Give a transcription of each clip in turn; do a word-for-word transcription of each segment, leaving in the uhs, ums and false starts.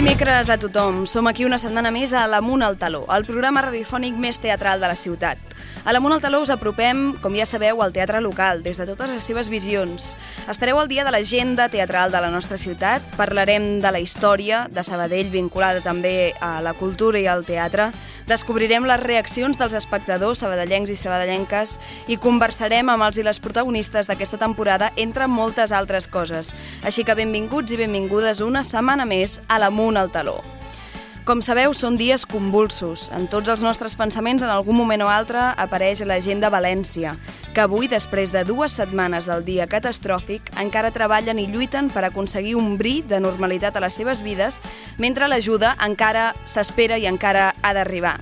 dimecres a tothom. Som aquí una setmana més a l'Amunt al Taló, el programa radiofònic més teatral de la ciutat. A l'Amunt al Taló us apropem, com ja sabeu, al teatre local, des de totes les seves visions. Estareu al dia de l'agenda teatral de la nostra ciutat, parlarem de la història de Sabadell, vinculada també a la cultura i al teatre, descobrirem les reaccions dels espectadors sabadellencs i sabadellenques i conversarem amb els i les protagonistes d'aquesta temporada, entre moltes altres coses. Així que benvinguts i benvingudes una setmana més a l'Amunt al Taló. Com sabeu, són dies convulsos. En tots els nostres pensaments, en algun moment o altre, apareix la gent de València, que avui, després de dues setmanes del dia catastròfic, encara treballen i lluiten per aconseguir un bri de normalitat a les seves vides, mentre l'ajuda encara s'espera i encara ha d'arribar.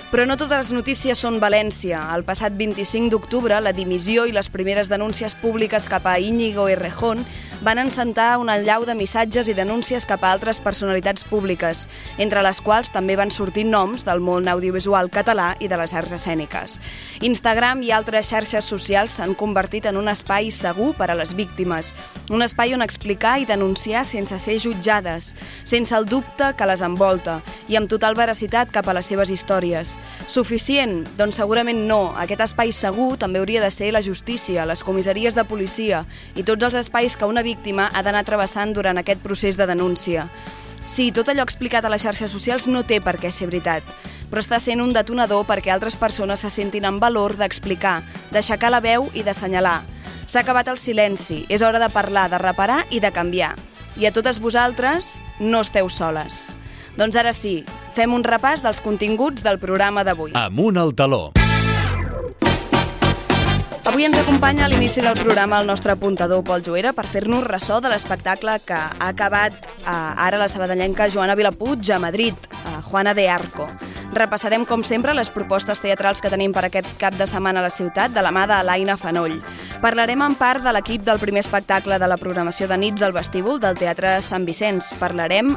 Però no totes les notícies són València. El passat vint-i-cinc d'octubre, la dimissió i les primeres denúncies públiques cap a Íñigo Errejón van encentar una allau de missatges i denúncies cap a altres personalitats públiques, entre les quals també van sortir noms del món audiovisual català i de les arts escèniques. Instagram i altres xarxes socials s'han convertit en un espai segur per a les víctimes, un espai on explicar i denunciar sense ser jutjades, sense el dubte que les envolta i amb total veracitat cap a les seves històries. Suficient? Doncs segurament no. Aquest espai segur també hauria de ser la justícia, les comissaries de policia i tots els espais que una víctima ha d'anar travessant durant aquest procés de denúncia. Sí, tot allò explicat a les xarxes socials no té per què ser veritat, però està sent un detonador perquè altres persones se sentin en valor d'explicar, d'aixecar la veu i d'assenyalar. S'ha acabat el silenci, és hora de parlar, de reparar i de canviar. I a totes vosaltres, no esteu soles. Doncs ara sí, fem un repàs dels continguts del programa d'avui. Amunt al Taló. Avui ens acompanya a l'inici del programa el nostre apuntador Pol Joera per fer-nos ressò de l'espectacle que ha acabat eh, ara la sabadellenca Joana Vilapuig a Madrid, a Juana de Arco. Repassarem, com sempre, les propostes teatrals que tenim per aquest cap de setmana a la ciutat, de la mà d'Alaina Fanoll. Parlarem en part de l'equip del primer espectacle de la programació de nits al vestíbul del Teatre Sant Vicenç. Parlarem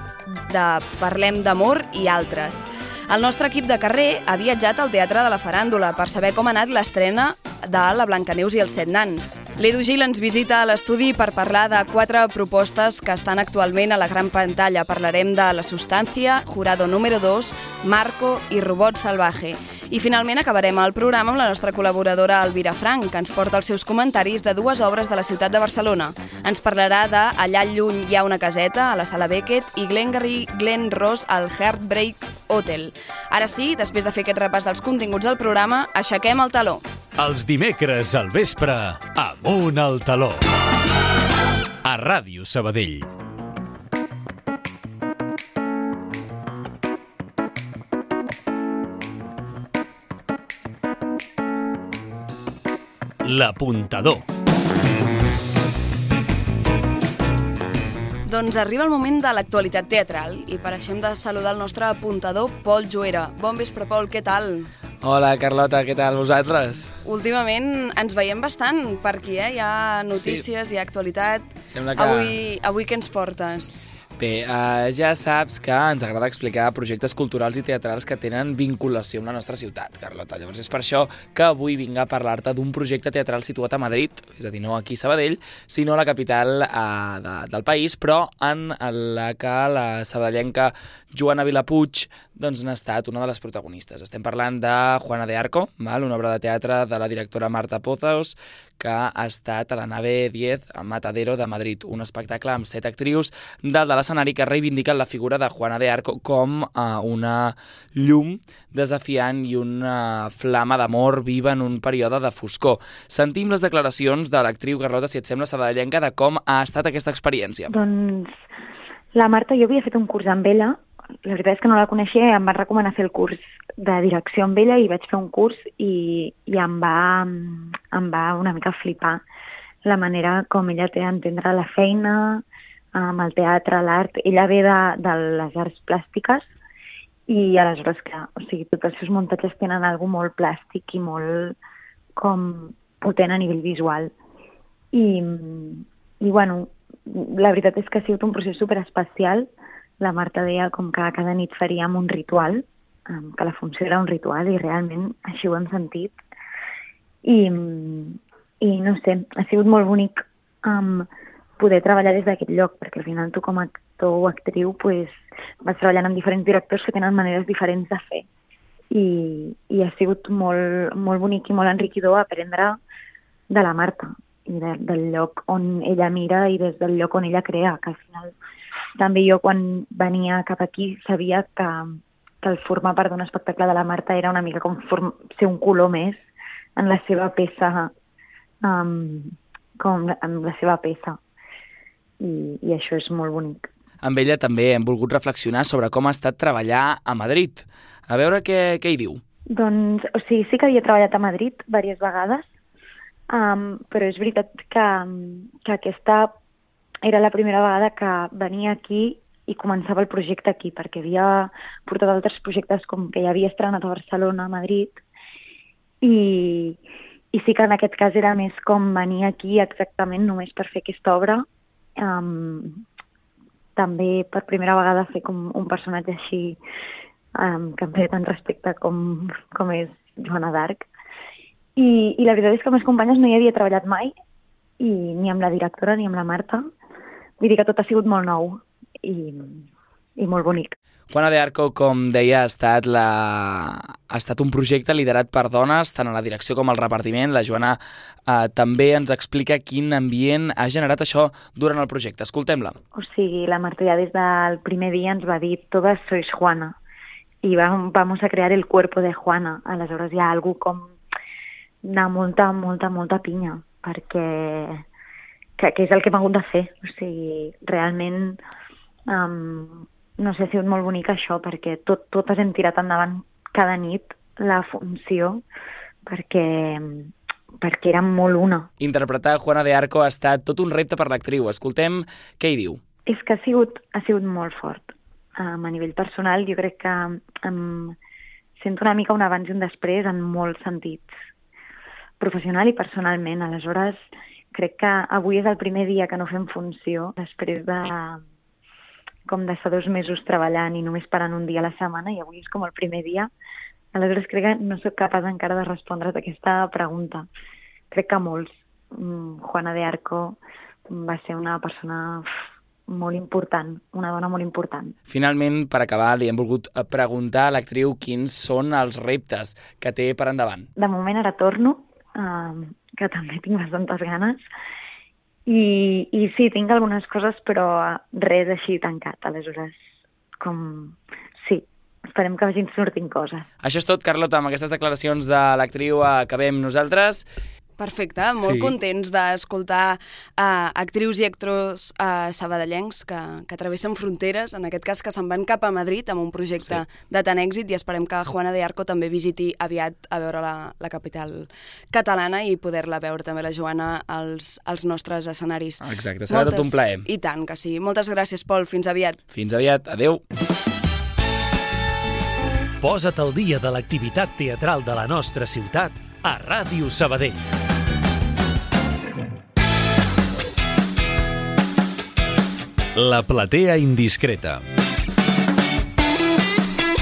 de Parlem d'amor i altres. El nostre equip de carrer ha viatjat al Teatre de la Faràndula per saber com ha anat l'estrena de La Blancaneus i els set nans. L'Edu Gil ens visita a l'estudi per parlar de quatre propostes que estan actualment a la gran pantalla. Parlarem de La Sustancia, Jurado número dos, Marco i Robot Salvaje. I finalment acabarem el programa amb la nostra col·laboradora Elvira Frank, que ens porta els seus comentaris de dues obres de la ciutat de Barcelona. Ens parlarà de Allà lluny hi ha una caseta, a la Sala Beckett, i Glengarry Glen Ross al Heartbreak Hotel. Ara sí, després de fer aquest repàs dels continguts del programa, aixequem el taló. Els dimecres al vespre, Amunt al Taló. A Ràdio Sabadell. L'apuntador. Doncs arriba el moment de l'actualitat teatral i per això hem de saludar el nostre apuntador Pol Joera. Bon vespre, Pol, què tal? Hola, Carlota, què tal vosaltres? Últimament ens veiem bastant per aquí, eh? Hi ha notícies, sí. Hi ha actualitat. Sembla que... Avui, avui què ens portes? Bé, uh, ja saps que ens agrada explicar projectes culturals i teatrals que tenen vinculació amb la nostra ciutat, Carlota. Llavors és per això que avui vinc a parlar-te d'un projecte teatral situat a Madrid, és a dir, no aquí a Sabadell, sinó a la capital uh, de, del país, però en la que la sabadellenca Joana Vilapuig doncs, n'ha estat una de les protagonistes. Estem parlant de Juana de Arco, val? Una obra de teatre de la directora Marta Pozos, que ha estat a la nave diez a Matadero de Madrid, un espectacle amb set actrius dalt de l'escenari que reivindiquen la figura de Juana de Arco com uh, una llum desafiant i una flama d'amor viva en un període de foscor. Sentim les declaracions de l'actriu Carlota, si et sembla, sabadellenca, de com ha estat aquesta experiència. Doncs la Marta, jo havia fet un curs amb ella. La veritat és que no la coneixia i em van recomanar fer el curs de direcció amb ella i vaig fer un curs i, i em, va, em va una mica flipar la manera com ella té d'entendre la feina, amb el teatre, l'art. Ella ve de, de les arts plàstiques i aleshores, clar, o sigui, tots els seus muntatges tenen alguna molt plàstic i molt com potent a nivell visual. I, i bueno, la veritat és que ha sigut un procés superespecial. La Marta deia com que cada nit faríem un ritual, que la funció era un ritual i realment així ho hem sentit. I, i no sé, ha sigut molt bonic um, poder treballar des d'aquest lloc, perquè al final tu com a actor o actriu, pues, vas treballant amb diferents directors que tenen maneres diferents de fer. I, i ha sigut molt, molt bonic i molt enriquidor aprendre de la Marta i de, del lloc on ella mira i des del lloc on ella crea, que al final també jo quan venia cap aquí sabia que, que el formar part d'un espectacle de la Marta era una mica com form, ser un color més en la seva peça, um, com en la seva peça. I, i això és molt bonic. Amb ella també hem volgut reflexionar sobre com ha estat treballar a Madrid. A veure què, què hi diu. Doncs, o sigui, sí que havia treballat a Madrid diverses vegades, um, però és veritat que, que aquesta era la primera vegada que venia aquí i començava el projecte aquí, perquè havia portat altres projectes com que ja havia estrenat a Barcelona, a Madrid, i, i sí que en aquest cas era més com venir aquí exactament només per fer aquesta obra. Um, també per primera vegada fer com un personatge així um, que em feia tant respecte com, com és Joana d'Arc. I, I la veritat és que amb les companyes no hi havia treballat mai, i ni amb la directora ni amb la Marta. Vull dir que tot ha sigut molt nou i, i molt bonic. Juana de Arco, com deia, ha estat, la... ha estat un projecte liderat per dones, tant a la direcció com al repartiment. La Joana eh, també ens explica quin ambient ha generat això durant el projecte. Escoltem-la. O sigui, la Marta ja des del primer dia ens va dir «Todas sois Juana» i vam, vamos a crear el cuerpo de Juana. Aleshores hi ha algú com de molta, molta, molta pinya, perquè que, que és el que hem hagut de fer. O sigui, realment... Um, no sé, ha sigut molt bonic això, perquè tot, totes hem tirat endavant cada nit la funció, perquè, perquè érem molt una. Interpretar Juana de Arco ha estat tot un repte per l'actriu. Escoltem què hi diu. És que ha sigut, ha sigut molt fort. Um, a nivell personal, jo crec que um, sento una mica un abans i un després en molts sentits, professional i personalment. Aleshores, crec que avui és el primer dia que no fem funció, després de... com d'estar dos mesos treballant i només parant un dia a la setmana, i avui és com el primer dia. Aleshores crec que no soc capaç encara de respondre a aquesta pregunta. Crec que molts. Juana de Arco va ser una persona molt important, una dona molt important. Finalment, per acabar, li hem volgut preguntar a l'actriu quins són els reptes que té per endavant. De moment ara torno, eh, que també tinc bastantes ganes, I, i sí, tinc algunes coses, però res així tancat. Aleshores, com... sí, esperem que vagin sortint coses. Això és tot, Carlota. Amb aquestes declaracions de l'actriu acabem nosaltres. Perfecte, molt sí. Contents d'escoltar uh, actrius i actors uh, sabadellencs que, que travessen fronteres, en aquest cas que se'n van cap a Madrid amb un projecte sí. de tant èxit, i esperem que Juana de Arco també visiti aviat a veure la, la capital catalana i poder-la veure també la Joana als, als nostres escenaris. Exacte, serà Moltes, tot un plaer. I tant que sí. Moltes gràcies, Pol. Fins aviat. Fins aviat. Adéu. Posa't al dia de l'activitat teatral de la nostra ciutat a Ràdio Sabadell. La platea indiscreta.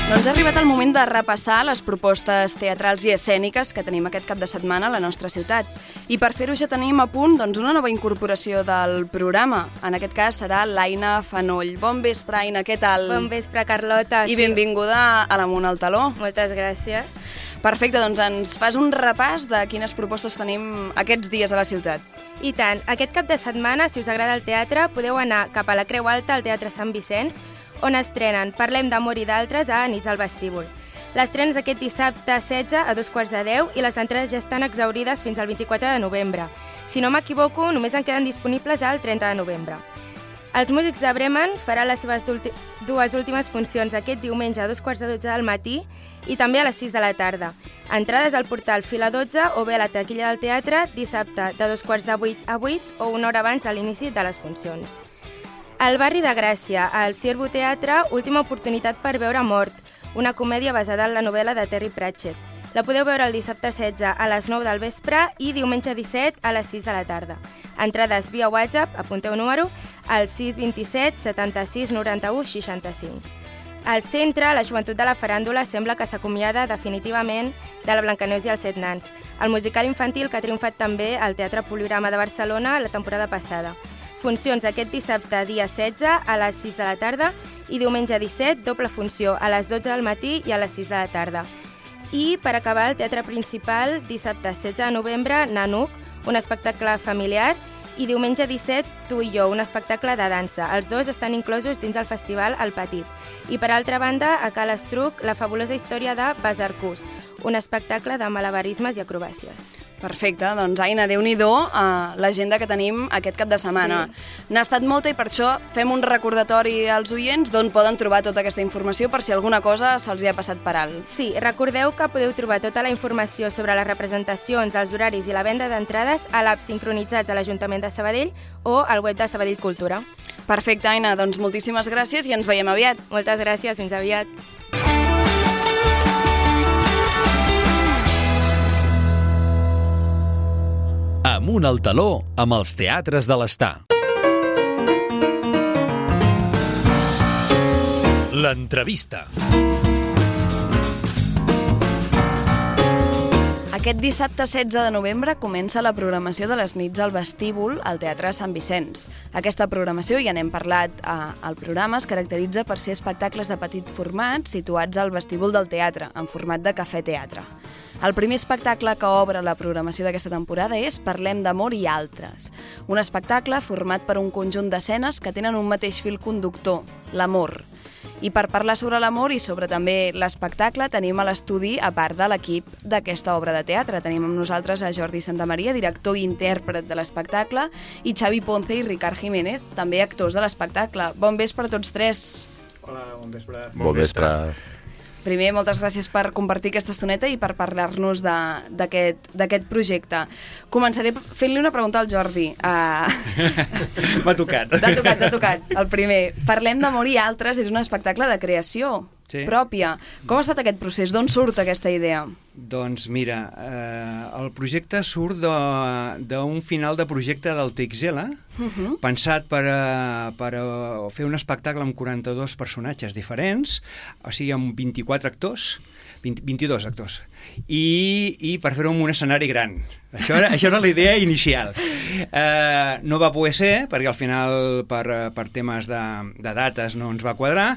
Doncs ha arribat el moment de repassar les propostes teatrals i escèniques que tenim aquest cap de setmana a la nostra ciutat. I per fer-ho ja tenim a punt doncs, una nova incorporació del programa. En aquest cas serà l'Aina Fanoll. Bon vespre, Aina, què tal? Bon vespre, Carlota. I sí. Benvinguda a l'Amunt al Taló. Moltes gràcies. Perfecte, doncs ens fas un repàs de quines propostes tenim aquests dies a la ciutat. I tant. Aquest cap de setmana, si us agrada el teatre, podeu anar cap a la Creu Alta al Teatre Sant Vicenç, on estrenen Parlem d'amor i d'altres a Nits al Vestíbul. L'estrena és aquest dissabte setze a dos quarts de deu i les entrades ja estan exaurides fins al vint-i-quatre de novembre. Si no m'equivoco, només en queden disponibles al trenta de novembre. Els músics de Bremen faran les seves dues últimes funcions aquest diumenge a dos quarts de dotze del matí i també a les sis de la tarda. Entrades al portal Fila dotze o bé a la taquilla del teatre dissabte de dos quarts de vuit a vuit o una hora abans de l'inici de les funcions. Al barri de Gràcia, al Ciervo Teatre, última oportunitat per veure Mort, una comèdia basada en la novel·la de Terry Pratchett. La podeu veure el dissabte setze a les nou del vespre i diumenge disset a les sis de la tarda. Entrades via WhatsApp, apunteu número, al sis dos set setanta-sis noranta-u seixanta-cinc. Al centre, la joventut de la faràndula sembla que s'acomiada definitivament de la Blancaneus i els set nans, el musical infantil que ha triomfat també al Teatre Poligrama de Barcelona la temporada passada. Funcions aquest dissabte, dia setze, a les sis de la tarda, i diumenge disset, doble funció, a les dotze del matí i a les sis de la tarda. I, per acabar, el teatre principal, dissabte setze de novembre, Nanuc, un espectacle familiar, i diumenge disset, Tu i jo, un espectacle de dansa. Els dos estan inclosos dins el festival El Petit. I, per altra banda, a Cal Estruc, la fabulosa història de Basarcús, un espectacle de malabarismes i acrobàcies. Perfecte, doncs Aina, Déu-n'hi-do uh, l'agenda que tenim aquest cap de setmana. Sí. N'ha estat molta i per això fem un recordatori als oients d'on poden trobar tota aquesta informació per si alguna cosa se'ls hi ha passat per alt. Sí, recordeu que podeu trobar tota la informació sobre les representacions, els horaris i la venda d'entrades a l'app Sincronitzats de l'Ajuntament de Sabadell o al web de Sabadell Cultura. Perfecte, Aina, doncs moltíssimes gràcies i ens veiem aviat. Moltes gràcies, fins aviat. Amunt al taló amb els teatres de l'Estar. L'entrevista. Aquest dissabte setze de novembre comença la programació de les nits al vestíbul al Teatre Sant Vicenç. Aquesta programació, ja n'hem parlat al programa, es caracteritza per ser espectacles de petit format situats al vestíbul del teatre, en format de cafè-teatre. El primer espectacle que obre la programació d'aquesta temporada és Parlem d'amor i altres, un espectacle format per un conjunt d'escenes que tenen un mateix fil conductor, l'amor. I per parlar sobre l'amor i sobre també l'espectacle tenim a l'estudi, a part de l'equip d'aquesta obra de teatre. Tenim amb nosaltres a Jordi Santamaria, director i intèrpret de l'espectacle, i Xavi Ponce i Ricard Jiménez, també actors de l'espectacle. Bon vespre a tots tres. Hola, bon vespre. Bon vespre. Primer, moltes gràcies per compartir aquesta estoneta i per parlar-nos d'aquest projecte. Començaré fent-li una pregunta al Jordi. Uh... M'ha tocat. T'ha tocat, t'ha tocat. El primer, Parlem d'amor i altres és un espectacle de creació sí. pròpia. Com ha estat aquest procés? D'on surt aquesta idea? Doncs mira, eh, el projecte surt d'un final de projecte del T X L, uh-huh. pensat per, a, per a fer un espectacle amb quaranta-dos personatges diferents, o sigui, amb vint-i-quatre actors, vint, vint-i-dos actors, i, i per fer-ho en un escenari gran. Això era, això era la idea inicial. Eh, no va poder ser, perquè al final, per, per temes de, de dates, no ens va quadrar,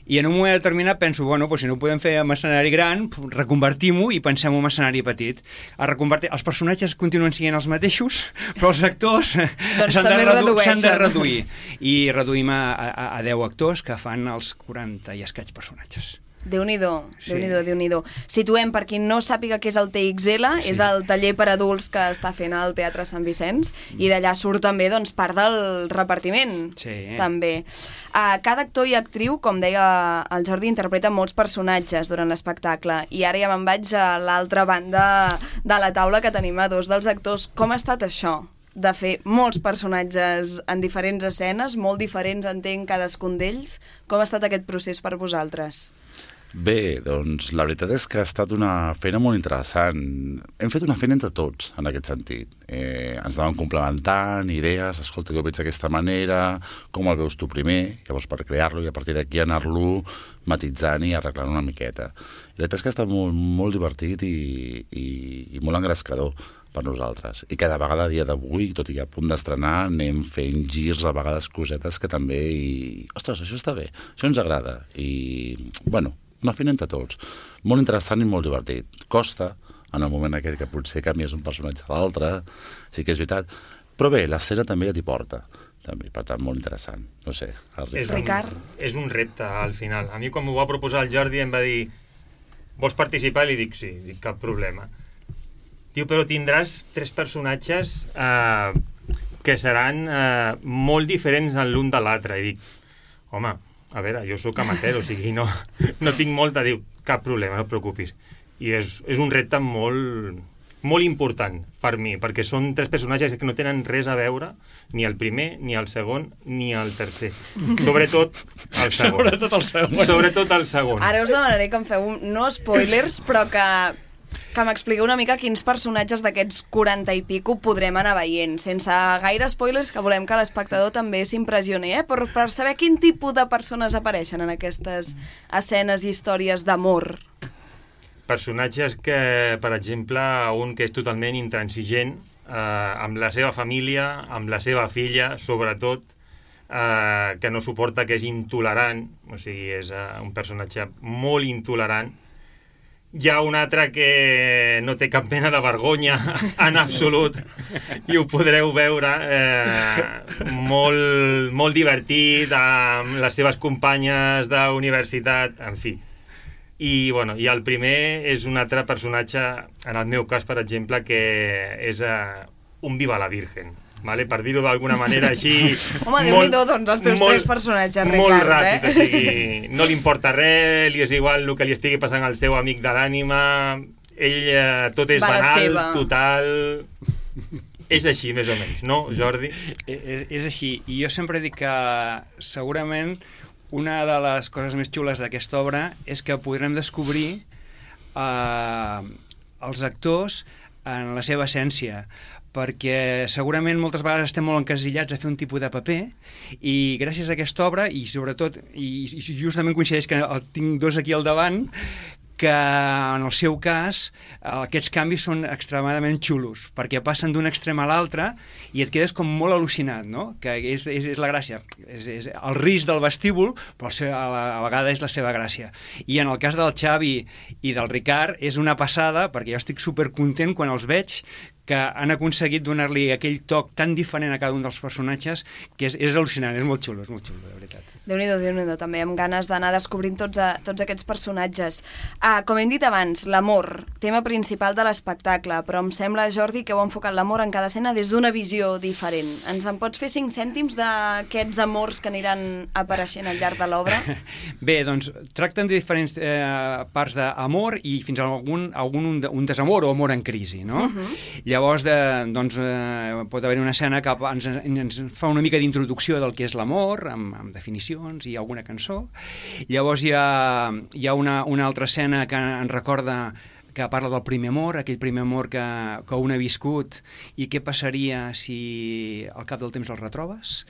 i en un moment determinat penso, bueno, doncs si no ho podem fer amb escenari gran, reconvertim-ho i pensem en un escenari petit. A reconvertir... Els personatges continuen sent els mateixos, però els actors doncs s'han de, redu de reduir. I reduïm a, a, a deu actors que fan els quaranta i escaig personatges. Déu-n'hi-do, sí. Déu-n'hi-do, Déu-n'hi-do. Situem, per qui no sàpiga què és el T X L, sí. és el taller per adults que està fent al Teatre Sant Vicenç, mm. i d'allà surt també doncs, part del repartiment. Sí. També. Uh, cada actor i actriu, com deia el Jordi, interpreta molts personatges durant l'espectacle, i ara ja me'n vaig a l'altra banda de la taula que tenim a dos dels actors. Com ha estat això? De fer molts personatges en diferents escenes, molt diferents, entenc, cadascun d'ells. Com ha estat aquest procés per vosaltres? Bé, doncs la veritat és que ha estat una feina molt interessant. Hem fet una feina entre tots, en aquest sentit. Eh, ens anaven complementant idees, escolta, jo ho veig d'aquesta manera, com el veus tu primer, llavors per crear-lo i a partir d'aquí anar-lo matitzant i arreglant una miqueta. I la veritat és que ha estat molt, molt divertit i, i, i molt engrescador per nosaltres. I cada vegada a dia d'avui, tot i a punt d'estrenar, anem fent girs, a vegades cosetes que també... I... Ostres, això està bé, això ens agrada. I, bueno, una feina entre tots. Molt interessant i molt divertit. Costa, en el moment aquest que potser canvies un personatge a l'altre, sí que és veritat. Però bé, l'escena també ja t'hi porta. També, per tant, molt interessant. No sé, el Ricard. És un, és un repte, al final. A mi, quan m'ho va proposar el Jordi, em va dir vols participar? I li dic sí, dic cap problema. Diu, però tindràs tres personatges eh, que seran eh, molt diferents l'un de l'altre. I dic, home, a veure, jo sóc amateur, o sigui, no, no tinc molta... Diu, cap problema, no et preocupis. I és, és un repte molt, molt important per mi, perquè són tres personatges que no tenen res a veure, ni el primer, ni el segon, ni el tercer. Sobretot el segon. Sobretot el segon. Sobretot el segon. Ara us demanaré que em feu, no spoilers, però que... que m'expliqueu una mica quins personatges d'aquests quaranta i pico podrem anar veient, sense gaire spoilers, que volem que l'espectador també s'impressioni, eh? per, per saber quin tipus de persones apareixen en aquestes escenes i històries d'amor. Personatges que, per exemple, un que és totalment intransigent eh, amb la seva família, amb la seva filla, sobretot, eh, que no suporta, que és intolerant, o sigui, és eh, un personatge molt intolerant. Hi ha un altre que no té cap mena de vergonya en absolut i ho podreu veure, eh, molt, molt divertit, amb les seves companyes d'universitat, en fi. I, bueno, i el primer és un altre personatge, en el meu cas, per exemple, que és eh, un Viva la Virgen. Vale? Per dir-ho d'alguna manera així... Home, Déu-n'hi-do, doncs, els teus molt, tres personatges, Ricard, molt ràpid, eh? o sigui, no li importa res, li és igual el que li estigui passant al seu amic de l'ànima, ell eh, tot és Va la banal, seva. total... És així, més o menys, no, Jordi? És, és així, i jo sempre dic que segurament una de les coses més xules d'aquesta obra és que podrem descobrir eh, els actors en la seva essència, perquè segurament moltes vegades estem molt encasillats a fer un tipus de paper i gràcies a aquesta obra, i sobretot, i, i justament coincideix que el tinc dos aquí al davant, que en el seu cas aquests canvis són extremadament xulos, perquè passen d'un extrem a l'altre i et quedes com molt al·lucinat, no? Que és, és, és la gràcia. És, és el risc del vestíbul, però a la, a la vegada és la seva gràcia. I en el cas del Xavi i del Ricard és una passada, perquè jo estic supercontent quan els veig, que han aconseguit donar-li aquell toc tan diferent a cada un dels personatges que és, és al·lucinant, és molt xulo, és molt xulo, de veritat. Déu-n'hi-do, Déu-n'hi-do, també amb ganes d'anar descobrint tots, a, tots aquests personatges. Ah, com hem dit abans, l'amor, tema principal de l'espectacle, però em sembla, Jordi, que heu enfocat l'amor en cada escena des d'una visió diferent. Ens en pots fer cinc cèntims d'aquests amors que aniran apareixent al llarg de l'obra? Bé, doncs, tracten de diferents eh, parts d'amor i fins a algun, algun un, un desamor o amor en crisi, no? Uh-huh. Llavors, de, doncs, eh, pot haver-hi una escena que ens, ens fa una mica d'introducció del que és l'amor, amb, amb definicions i alguna cançó. Llavors hi ha, hi ha una, una altra escena que ens recorda, que parla del primer amor, aquell primer amor que, que un ha viscut i què passaria si al cap del temps el retrobes.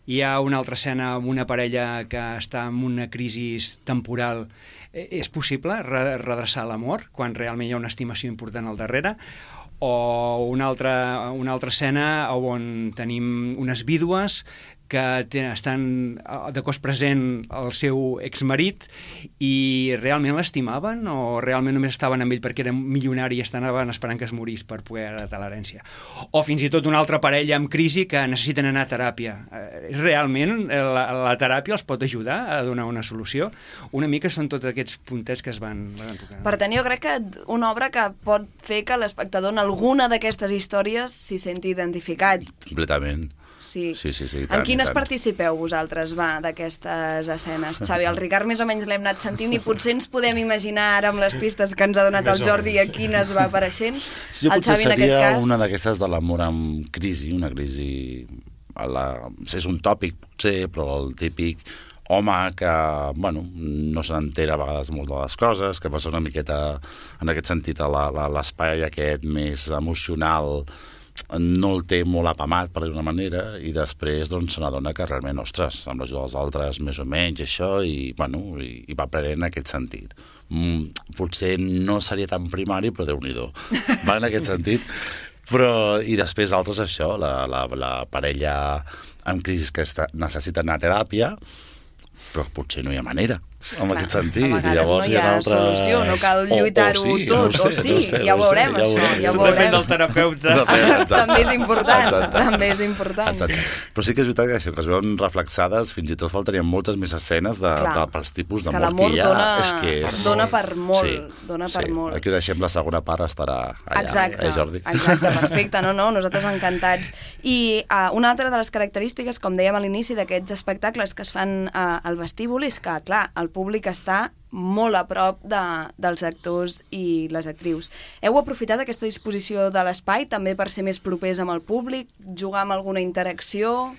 Hi ha una altra escena amb una parella que està en una crisi temporal. És possible redreçar l'amor quan realment hi ha una estimació important al darrere? O una altra, una altra escena on tenim unes vídues que estan de cos present el seu exmarit i realment l'estimaven o realment només estaven amb ell perquè era milionari i estaven esperant que es morís per poder heretar l'herència. O fins i tot una altra parella amb crisi que necessiten anar a teràpia. Realment la, la teràpia els pot ajudar a donar una solució? Una mica són tots aquests puntets que es van, van tocar. Per tant, jo crec que una obra que pot fer que l'espectador en alguna d'aquestes històries s'hi senti identificat. Completament. Sí. Sí, sí, sí, tant, en quines participeu vosaltres, va, d'aquestes escenes? Xavi, el Ricard més o menys l'hem anat sentint i potser ens podem imaginar ara amb les pistes que ens ha donat el Jordi a quines va apareixent. Sí, jo el potser Xavi, en seria aquest cas... una d'aquestes de l'amor amb crisi, una crisi... A la... És un tòpic, potser, però el típic home que, bueno, no se n'entera a vegades molt de les coses, que passa una miqueta, en aquest sentit, a l'espai aquest més emocional, no el té molt apamat, per dir d'una manera, i després doncs, se n'adona que realment, ostres, amb l'ajuda dels altres, més o menys, això, i, bueno, i, i va aprenent en aquest sentit. Mm, potser no seria tan primari, però Déu-n'hi-do, va en aquest sentit. Però, i després altres, això, la, la, la parella amb crisi que està, necessita anar a teràpia, però potser no hi ha manera, en aquest sentit. A vegades llavors, no hi ha, hi ha altres... solució, no cal lluitar-ho o, o sí, tot, no sé, o sí, no sé, ja ho no veurem, sé, això, ja ho ja ho Depèn veurem. del terapeuta. Exacte. També és important, Exacte. també és important. Exacte. Però sí que és veritat que això, que es veuen reflexades, fins i tot faltarien moltes més escenes de, de, pels tipus d'amor que, que hi ha. Dona, és que és... dona per molt, sí, dona sí. per molt. Aquí ho deixem, la segona part estarà allà, exacte, eh, Jordi? Exacte, perfecte, no, no, nosaltres encantats. I uh, una altra de les característiques, com dèiem a l'inici d'aquests espectacles que es fan uh, al vestíbul, és que, clar, el públic està molt a prop de, dels actors i les actrius. Heu aprofitat aquesta disposició de l'espai també per ser més propers amb el públic, jugar amb alguna interacció?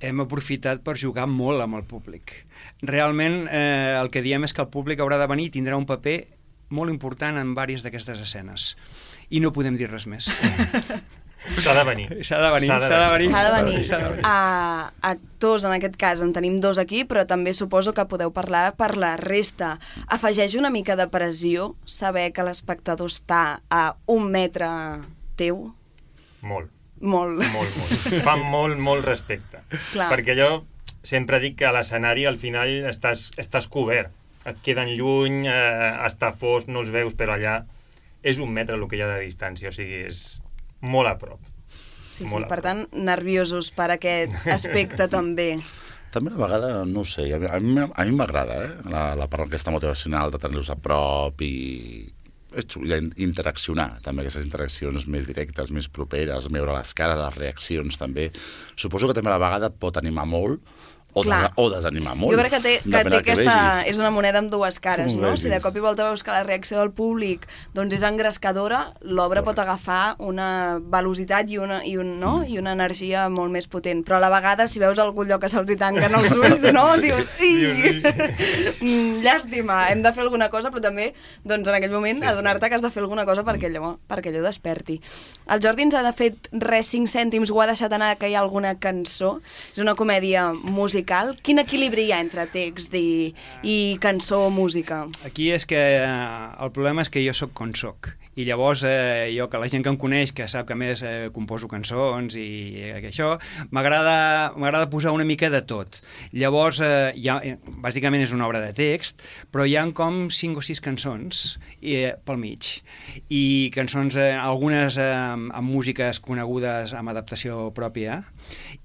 Hem aprofitat per jugar molt amb el públic. Realment, eh, el que diem és que el públic haurà de venir i tindrà un paper molt important en diverses d'aquestes escenes. I no podem dir res més. S'ha de venir. S'ha de venir, s'ha de venir. S'ha de venir. S'ha de venir. Uh, actors, en aquest cas, en tenim dos aquí, però també suposo que podeu parlar per la resta. Afegeix una mica de pressió saber que l'espectador està a un metre teu? Molt. Molt. Molt, molt. Fa molt, molt respecte. Clar. Perquè jo sempre dic que a l'escenari al final estàs, estàs cobert. Et queden lluny, eh, està fosc, no els veus, però allà és un metre el que hi ha de distància, o sigui, és molt a prop. Sí, sí, molt a per prop. tant, nerviosos per aquest aspecte també. També a vegada, no ho sé, a mi, a mi, a mi m'agrada eh? la, la part aquesta motivacional de tenir-los a prop i és xulo, interaccionar, també aquestes interaccions més directes, més properes, veure les cares, les reaccions també. Suposo que també a la vegada pot animar molt o, des, o desanimar molt. Jo crec que té, que té aquesta... Que és una moneda amb dues cares, no? Si de cop i volta veus que la reacció del públic doncs és engrescadora, l'obra pot agafar una velocitat i una, i, un, no? I una energia molt més potent. Però a la vegada, si veus algun lloc que se'ls hi tanquen els ulls, no? Dius, ii! Llàstima, hem de fer alguna cosa, però també, doncs, en aquell moment, sí, adonar-te sí. que has de fer alguna cosa perquè allò, perquè allò desperti. El Jordi ens ha fet res cinc cèntims, ho ha deixat anar que hi ha alguna cançó. És una comèdia musical. Quin equilibri hi ha entre text i, i cançó o música? Aquí és que eh, el problema és que jo sóc com soc. I llavors, eh, jo, que la gent que em coneix, que sap que a més eh, composo cançons i eh, això, m'agrada posar una mica de tot. Llavors, eh, ha, bàsicament és una obra de text, però hi ha com cinc o sis cançons eh, pel mig. I cançons, eh, algunes eh, amb músiques conegudes amb adaptació pròpia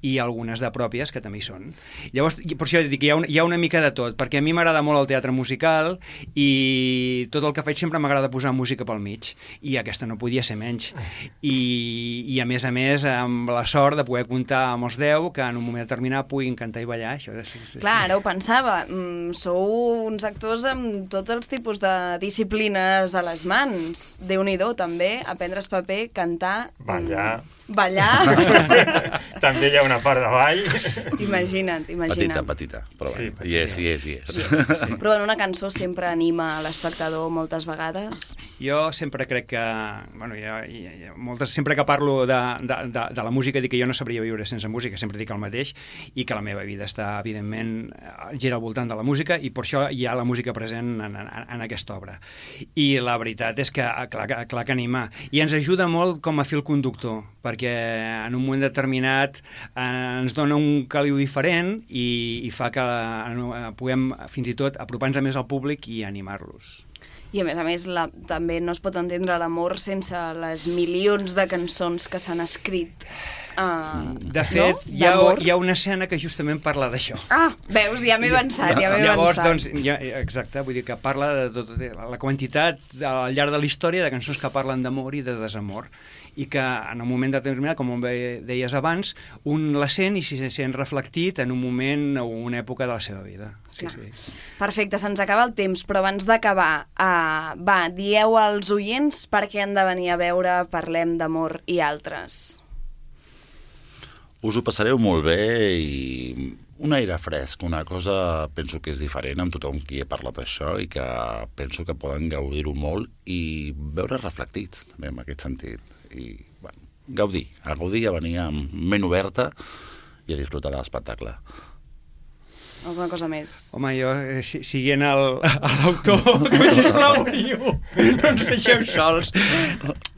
i algunes de pròpies que també hi són. Llavors, per això dic que hi ha, un, hi ha una mica de tot, perquè a mi m'agrada molt el teatre musical i tot el que faig sempre m'agrada posar música pel mig. I aquesta no podia ser menys. I, i a més a més, amb la sort de poder comptar amb els deu que en un moment determinat puguin cantar i ballar. Això, sí, sí, Clar, ara ho pensava. Mm, sou uns actors amb tots els tipus de disciplines a les mans. Déu-n'hi-do, també, aprendre el paper, cantar... Ballar. Mm, ballar. També hi ha una part de ball. Imagina't, imagina't. Petita, petita, però sí, bueno, hi és, hi és, hi és. Sí, sí. Però en una cançó sempre anima l'espectador moltes vegades. Jo sempre crec que... Bueno, hi ha, hi ha, hi ha moltes, sempre que parlo de, de, de, de la música dic que jo no sabria viure sense música, sempre dic el mateix, i que la meva vida està, evidentment, gira al voltant de la música, i per això hi ha la música present en, en, en aquesta obra. I la veritat és que, clar, clar que anima. I ens ajuda molt com a fil conductor, perquè en un moment determinat eh, ens dona un caliu diferent i, i fa que eh, puguem fins i tot apropar-nos més al públic i animar-los. I a més a més la, també no es pot entendre l'amor sense les milions de cançons que s'han escrit. Uh, de fet, no? hi, ha, hi ha una escena que justament parla d'això. Ah, veus, ja m'he avançat, ja m'he Llavors, avançat. Doncs, ja, exacte, vull dir que parla de tot, de la quantitat al llarg de la història de cançons que parlen d'amor i de desamor, i que en un moment determinat, com deies abans, un la sent i s'hi sent reflectit en un moment o una època de la seva vida. Sí, sí. Perfecte, se'ns acaba el temps, però abans d'acabar, uh, va, dieu als oients per què han de venir a veure Parlem d'amor i altres. Us ho passareu molt bé i un aire fresc, una cosa penso que és diferent amb tothom qui he parlat d'això i que penso que poden gaudir-ho molt i veure reflectits també en aquest sentit. I bueno, gaudir, a gaudir, a venir amb ment oberta i a disfrutar de l'espectacle. Alguna cosa més? Home, jo, eh, si, siguent l'autor, que sisplau, no ens deixeu sols.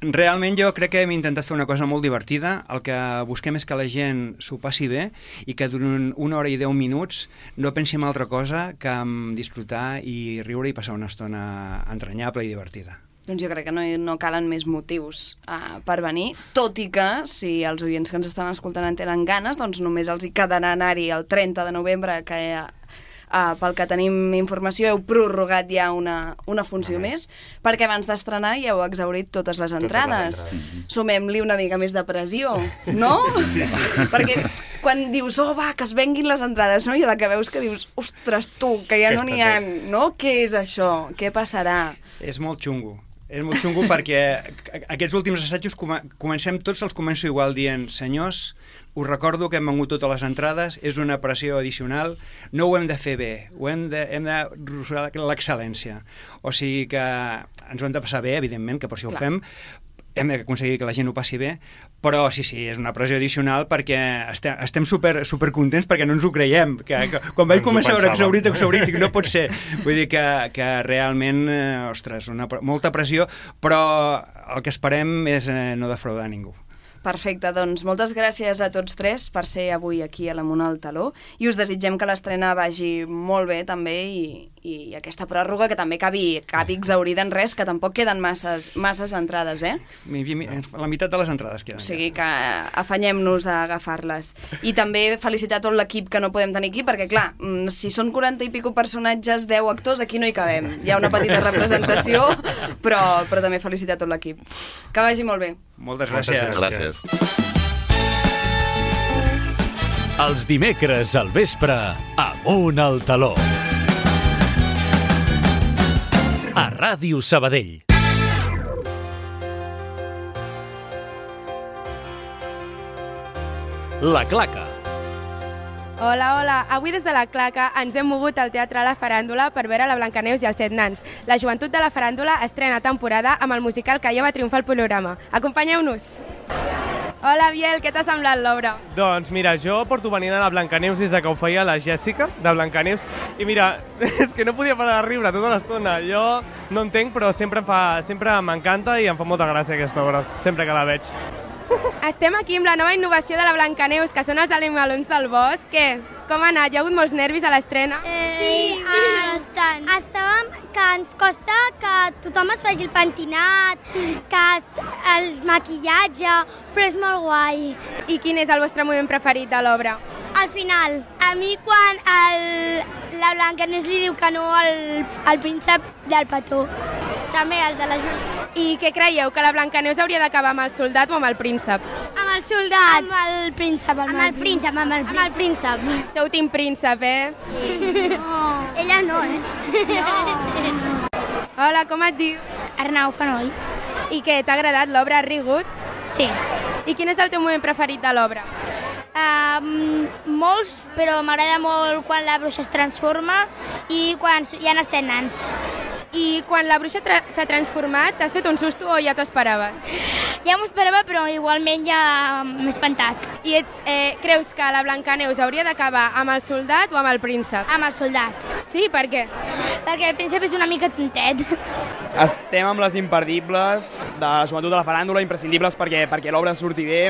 Realment jo crec que hem intentat fer una cosa molt divertida. El que busquem és que la gent s'ho passi bé i que durant una hora i deu minuts no pensi en altra cosa que en disfrutar i riure i passar una estona entranyable i divertida. Doncs jo crec que no, no calen més motius uh, per venir, tot i que si els oients que ens estan escoltant en tenen ganes, doncs només els hi quedarà anar-hi el trenta de novembre, que uh, pel que tenim informació heu prorrogat ja una, una funció més, perquè abans d'estrenar ja heu exhaurit totes les entrades. Sumem-li una mica més de pressió, no? Sí, sí. Perquè quan dius, oh va, que es venguin les entrades, no? I a la que veus que dius, ostres, tu, que ja no n'hi ha, no? Què és això? Què passarà? És molt xungo. És molt xungo perquè aquests últims assajos comencem, tots els començo igual dient, senyors, us recordo que hem vengut totes les entrades, és una pressió addicional, no ho hem de fer bé, ho hem de, hem de rosar l'excel·lència. O sigui que ens ho hem de passar bé, evidentment, que per això ho fem, hem d'aconseguir que la gent ho passi bé, però sí, sí, és una pressió addicional perquè estem, estem super, super contents perquè no ens ho creiem. Que, que, quan vaig començar a veure exhaurit, exhaurit, dic, no pot ser. Vull dir que, que realment, ostres, una, molta pressió, però el que esperem és eh, no defraudar ningú. Perfecte, doncs moltes gràcies a tots tres per ser avui aquí a l'Amunt al Taló i us desitgem que l'estrena vagi molt bé també i, i aquesta pròrroga que també acabi, acabi exaurida en res, que tampoc queden masses, masses entrades, eh? La meitat de les entrades queden. O sigui que afanyem-nos a agafar-les. I també felicitar tot l'equip que no podem tenir aquí, perquè clar, si són quaranta i pico personatges, deu actors, aquí no hi cabem. Hi ha una petita representació, però, però també felicitar tot l'equip. Que vagi molt bé. Moltes gràcies. Gràcies. Els dimecres al vespre, Amunt al Taló. A Ràdio Sabadell. La Claca. Hola, hola. Avui des de la Claca ens hem mogut al Teatre La Faràndula per veure la Blancaneus i els set nans. La joventut de la Faràndula estrena temporada amb el musical que ja va triomfar al programa. Acompanyeu-nos. Hola, Biel, què t'ha semblat l'obra? Doncs mira, jo porto venint a la Blancaneus des de que ho feia la Jèssica, de Blancaneus, i mira, és que no podia parar de riure tota l'estona. Jo no entenc, però sempre, fa, sempre m'encanta i em fa molta gràcia aquesta obra, sempre que la veig. Estem aquí amb la nova innovació de la Blancaneus, que són els animalons del bosc. Què? Com ha anat? Hi ha hagut molts nervis a l'estrena? Eh, sí, sí, bastant. Estàvem que ens costa que tothom es faci el pentinat, que es, el maquillatge, però és molt guai. I quin és el vostre moment preferit de l'obra? Al final. A mi quan el, la Blancaneus li diu que no al, al príncep del petó. També el de la Júlia. I què creieu, que la Blancaneus hauria d'acabar amb el soldat o amb el príncep? Amb el soldat. Amb el príncep. Amb, amb el príncep, amb el, amb el príncep. Sou team príncep, eh? Sí. No. Ella no, eh? No. Hola, com et dius? Arnau Fenoi. I què, t'ha agradat l'obra? Has rigut? Sí. I quin és el teu moment preferit de l'obra? Uh, molts, però m'agrada molt quan la bruixa es transforma i quan hi ha els set nans. I quan la bruixa tra s'ha transformat, t'has fet un susto o ja t'ho esperaves? Ja m'ho esperava, però igualment ja m'he espantat. I ets, eh, creus que la Blancaneus hauria d'acabar amb el soldat o amb el príncep? Amb el soldat. Sí, per què? Perquè el príncep és una mica tontet. Estem amb les imperdibles de la joventut de la faràndula, imprescindibles perquè, perquè l'obra surti bé.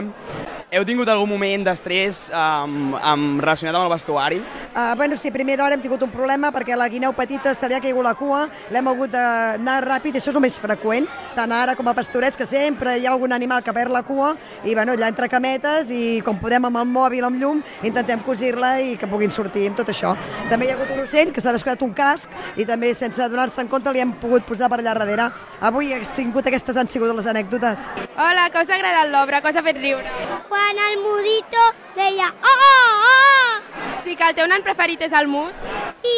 Heu tingut algun moment d'estrès um, um, relacionat amb el vestuari? Uh, bueno, sí, a primera hora hem tingut un problema perquè la guineu petita se li ha caigut la cua, l'hem hagut d'anar ràpid, això és el més freqüent, tant ara com a pastorets, que sempre hi ha algun animal que perd la cua, i bueno, allà entre cametes, i com podem amb el mòbil, amb llum, intentem cosir-la i que puguin sortir amb tot això. També hi ha hagut un ocell que s'ha descuidat un casc, i també sense adonar-se en compte li hem pogut posar per allà darrere. Avui he tingut aquestes han sigut les anècdotes. Hola, que us ha agradat l'obra? Que us ha fet riure? Quan el mudito deia oh, oh, oh! Sí, que el teu nan preferit és el mut? Sí,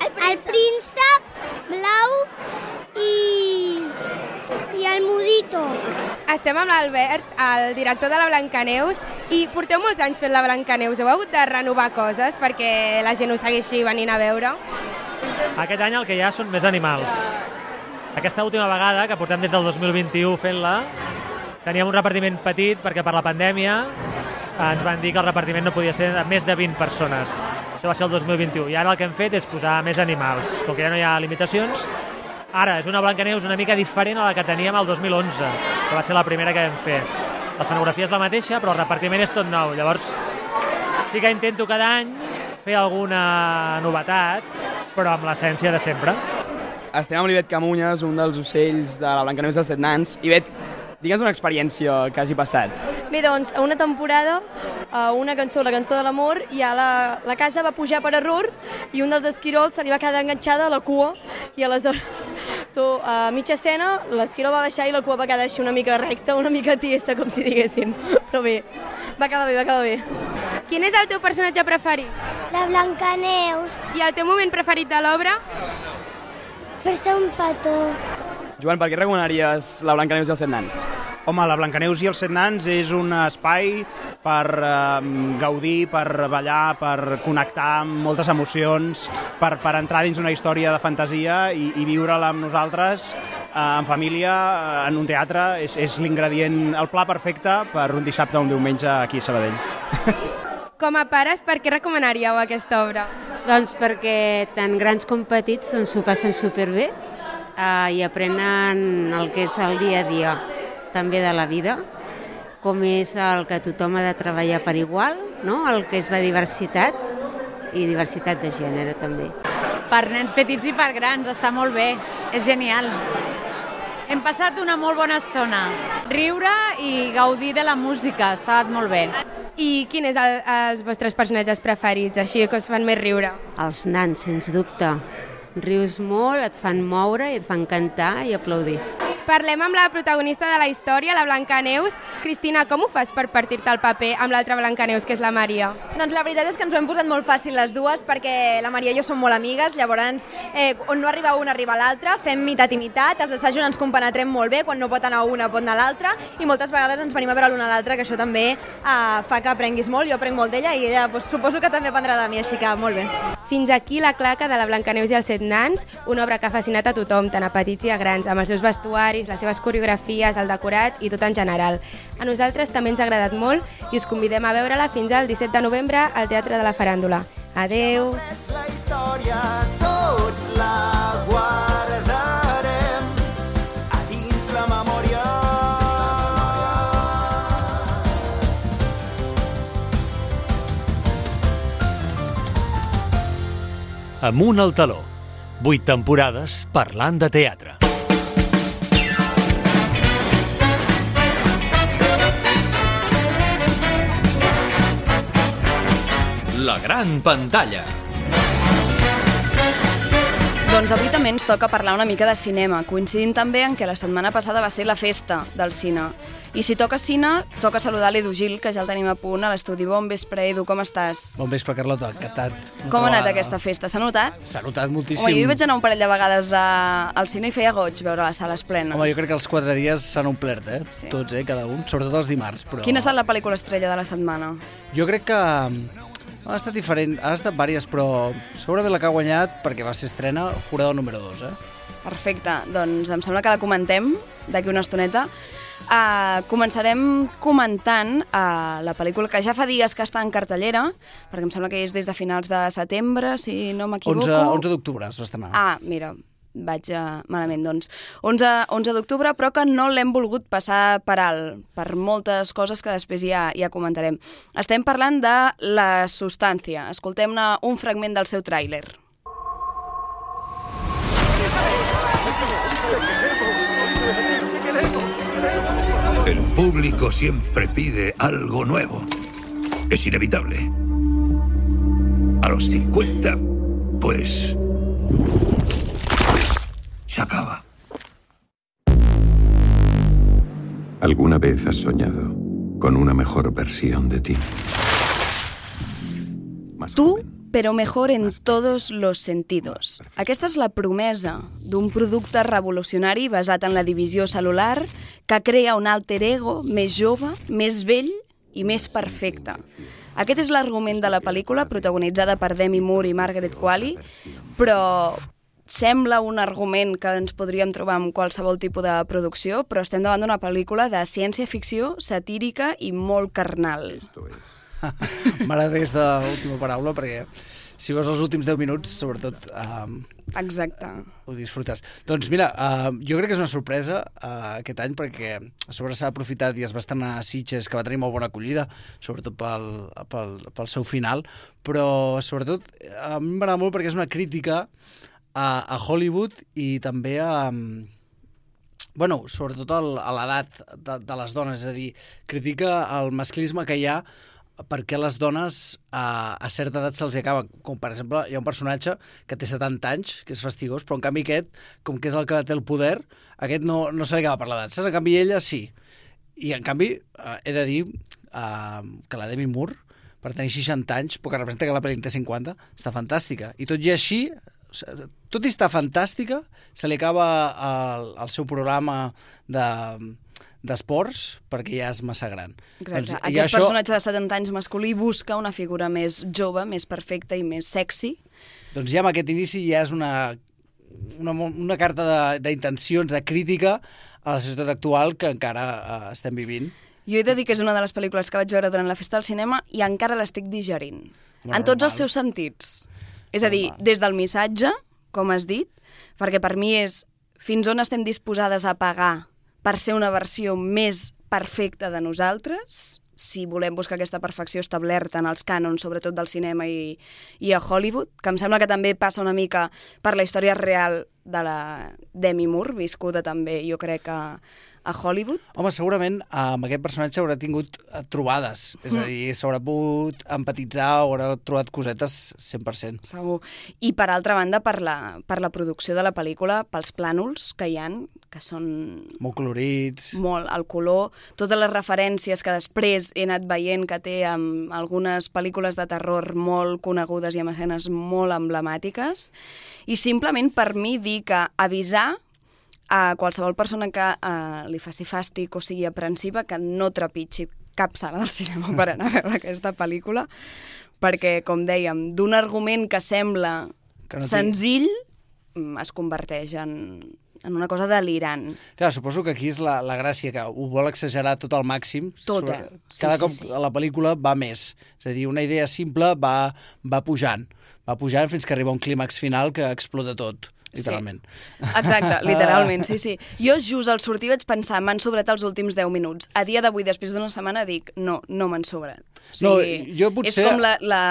el príncep, el príncep blau i, i el mudito. Estem amb l'Albert, el director de la Blancaneus, i porteu molts anys fent la Blancaneus. Heu hagut de renovar coses perquè la gent ho segueixi venint a veure? Aquest any el que hi ha són més animals. Aquesta última vegada, que portem des del dos mil vint-i-u fent-la, teníem un repartiment petit perquè per la pandèmia ens van dir que el repartiment no podia ser de més de vint persones. Això va ser el dos mil vint-i-u. I ara el que hem fet és posar més animals. Com que ja no hi ha limitacions, ara és una Blancaneus una mica diferent a la que teníem el dos mil onze, que va ser la primera que vam fer. L'escenografia és la mateixa, però el repartiment és tot nou. Llavors, sí que intento cada any fer alguna novetat, però amb l'essència de sempre. Estem amb l'Ivet Camunyes, un dels ocells de la Blancaneus dels set nans. Ivet, digue'ns una experiència que hagi passat. Bé, doncs, a una temporada, a una cançó, la cançó de l'amor, ja la, la casa va pujar per error i un dels esquirols se li va quedar enganxada a la cua i aleshores, tu, a mitja escena, l'esquirol va baixar i la cua va quedar així una mica recta, una mica tiesa, com si diguéssim. Però bé, va quedar bé, va quedar bé. Quin és el teu personatge preferit? La Blancaneus. I el teu moment preferit de l'obra? Fer-se un petó. Joan, per què recomanaries la Blancaneus i els set nans? Home, la Blancaneus i els set nans és un espai per eh, gaudir, per ballar, per connectar amb moltes emocions, per, per entrar dins una història de fantasia i, i viure-la amb nosaltres, eh, en família, eh, en un teatre. És, és l'ingredient, el pla perfecte per un dissabte o un diumenge aquí a Sabadell. Com a pares, per què recomanaríeu aquesta obra? Doncs perquè tant grans com petits s'ho passen superbé eh, i aprenen el que és el dia a dia també de la vida, com és el que tothom ha de treballar per igual, no? El que és la diversitat i diversitat de gènere també. Per nens petits i per grans, està molt bé, és genial. Hem passat una molt bona estona, riure i gaudir de la música, ha estat molt bé. I quin és el, els vostres personatges preferits, així que us fan més riure? Els nans, sens dubte. Rius molt, et fan moure i et fan cantar i aplaudir. Parlem amb la protagonista de la història, la Blancaneus. Cristina, com ho fas per partir-te el paper amb l'altra Blancaneus, que és la Maria? Doncs la veritat és que ens ho hem posat molt fàcil les dues, perquè la Maria i jo som molt amigues, llavors eh, on no arriba una arriba l'altra, fem mitat i mitat, els assajos ens compenetrem molt bé, quan no pot anar una pot anar l'altra, i moltes vegades ens venim a veure l'una a l'altra, que això també eh, fa que aprenguis molt, jo aprenc molt d'ella i ella doncs, suposo que també aprendrà de mi, així que molt bé. Fins aquí la claca de la Blancaneus i els set nans, una obra que ha fascinat a tothom, tant a petits i a grans, amb els seus vestuaris, les seves coreografies, el decorat i tot en general. A nosaltres també ens ha agradat molt i us convidem a veure-la fins al disset de novembre al Teatre de la Faràndula. Adeu! La història tots la guardarem a dins la memòria. Amunt al taló. Vuit temporades parlant de teatre. La gran pantalla. Doncs avui també ens toca parlar una mica de cinema, coincidint també en què la setmana passada va ser la festa del cine. I si toca cine, toca saludar l'Edu Gil, que ja el tenim a punt a l'estudi. Bon vespre, Edu, com estàs? Bon vespre, Carlota, encantat. Com ha anat aquesta festa? S'ha notat? S'ha notat moltíssim. Home, jo hi vaig anar un parell de vegades a... al cine i feia goig veure les sales plenes. Home, jo crec que els quatre dies s'han omplert, eh? Sí. Tots, eh? Cada un, sobretot els dimarts. Però... Quina ha estat la pel·lícula estrella de la setmana? Jo crec que... Ha estat diferent, ha estat vàries, però segurament la que ha guanyat, perquè va ser estrena, Jurado número dos, eh? Perfecte, doncs em sembla que la comentem d'aquí una estoneta. Uh, començarem comentant uh, la pel·lícula que ja fa dies que està en cartellera, perquè em sembla que és des de finals de setembre, si no m'equivoco. onze d'octubre es va estrenar. Ah, mira, vaig uh, malament, doncs. onze d'octubre, però que no l'hem volgut passar per alt, per moltes coses que després ja, ja comentarem. Estem parlant de La Substància. Escoltem-ne un fragment del seu tràiler. El público siempre pide algo nuevo. Es inevitable. A los cincuenta, pues... se acaba. ¿Alguna vez has soñado con una mejor versión de ti? Tú, però mejor en todos los sentidos. Aquesta és la promesa d'un producte revolucionari basat en la divisió cel·lular que crea un alter ego més jove, més vell i més perfecte. Aquest és l'argument de la pel·lícula, protagonitzada per Demi Moore i Margaret Qualley, però sembla un argument que ens podríem trobar en qualsevol tipus de producció, però estem davant d'una pel·lícula de ciència-ficció, satírica i molt carnal. M'agrada aquesta última paraula, perquè si veus els últims deu minuts, sobretot... Um, Exacte. Ho disfrutes. Doncs mira, uh, jo crec que és una sorpresa uh, aquest any, perquè a sobre s'ha aprofitat i es va estrenar a Sitges, que va tenir molt bona acollida, sobretot pel, pel, pel seu final, però sobretot a mi m'agrada molt perquè és una crítica a, a Hollywood i també a... Bueno, sobretot el, a l'edat de, de les dones, és a dir, critica el masclisme que hi ha perquè les dones a, a certa edat se'ls acaba. Com, per exemple, hi ha un personatge que té setanta anys, que és fastigós, però en canvi aquest, com que és el que té el poder, aquest no, no se li acaba per l'edat. Saps? En canvi ella sí. I en canvi eh, he de dir eh, que la Demi Moore, per tenir seixanta anys, però que representa que la pel·li en té cinquanta, està fantàstica. I tot i així, tot i estar fantàstica, se li acaba el, el seu programa de... d'esports, perquè ja és massa gran. Exacte. Doncs, Aquest això... personatge de setanta anys masculí busca una figura més jove, més perfecta i més sexy. Doncs ja amb aquest inici ja és una, una, una carta d'intencions, de, de crítica a la societat actual que encara uh, estem vivint. Jo he de dir que és una de les pel·lícules que vaig veure durant la festa del cinema i encara l'estic digerint. Bueno, en tots normal. Els seus sentits. És a dir, normal. Des del missatge, com has dit, perquè per mi és fins on estem disposades a pagar per ser una versió més perfecta de nosaltres, si volem buscar aquesta perfecció establerta en els cànons, sobretot del cinema i, i a Hollywood, que em sembla que també passa una mica per la història real de la Demi Moore, viscuda també, jo crec, a, a Hollywood. Home, segurament amb aquest personatge haurà tingut trobades, és a dir, s'haurà pogut empatitzar o haurà trobat cosetes cent per cent. Segur. I per altra banda, per la, per la producció de la pel·lícula, pels plànols que hi han, que són... Molt colorits. Molt, el color, totes les referències que després he anat veient que té amb algunes pel·lícules de terror molt conegudes i amb escenes molt emblemàtiques. I simplement per mi dir que avisar a qualsevol persona que uh, li faci fàstic o sigui aprensiva que no trepitgi cap sala del cinema per anar a veure aquesta pel·lícula, perquè, com dèiem, d'un argument que sembla que no senzill es converteix en, en una cosa delirant. Clar, suposo que aquí és la, la gràcia, que ho vol exagerar tot al màxim. Tot, eh? Sí, Cada sí, cop sí. la pel·lícula va més. És a dir, una idea simple va, va pujant. Va pujant fins que arriba un clímax final que explota tot. Literalment. Sí. Exacte, literalment, sí, sí. Jo just al sortir vaig pensar, m'han sobrat els últims deu minuts. A dia d'avui, després d'una setmana, dic, no, no m'han sobrat. O sigui, no, jo potser... És com la, la,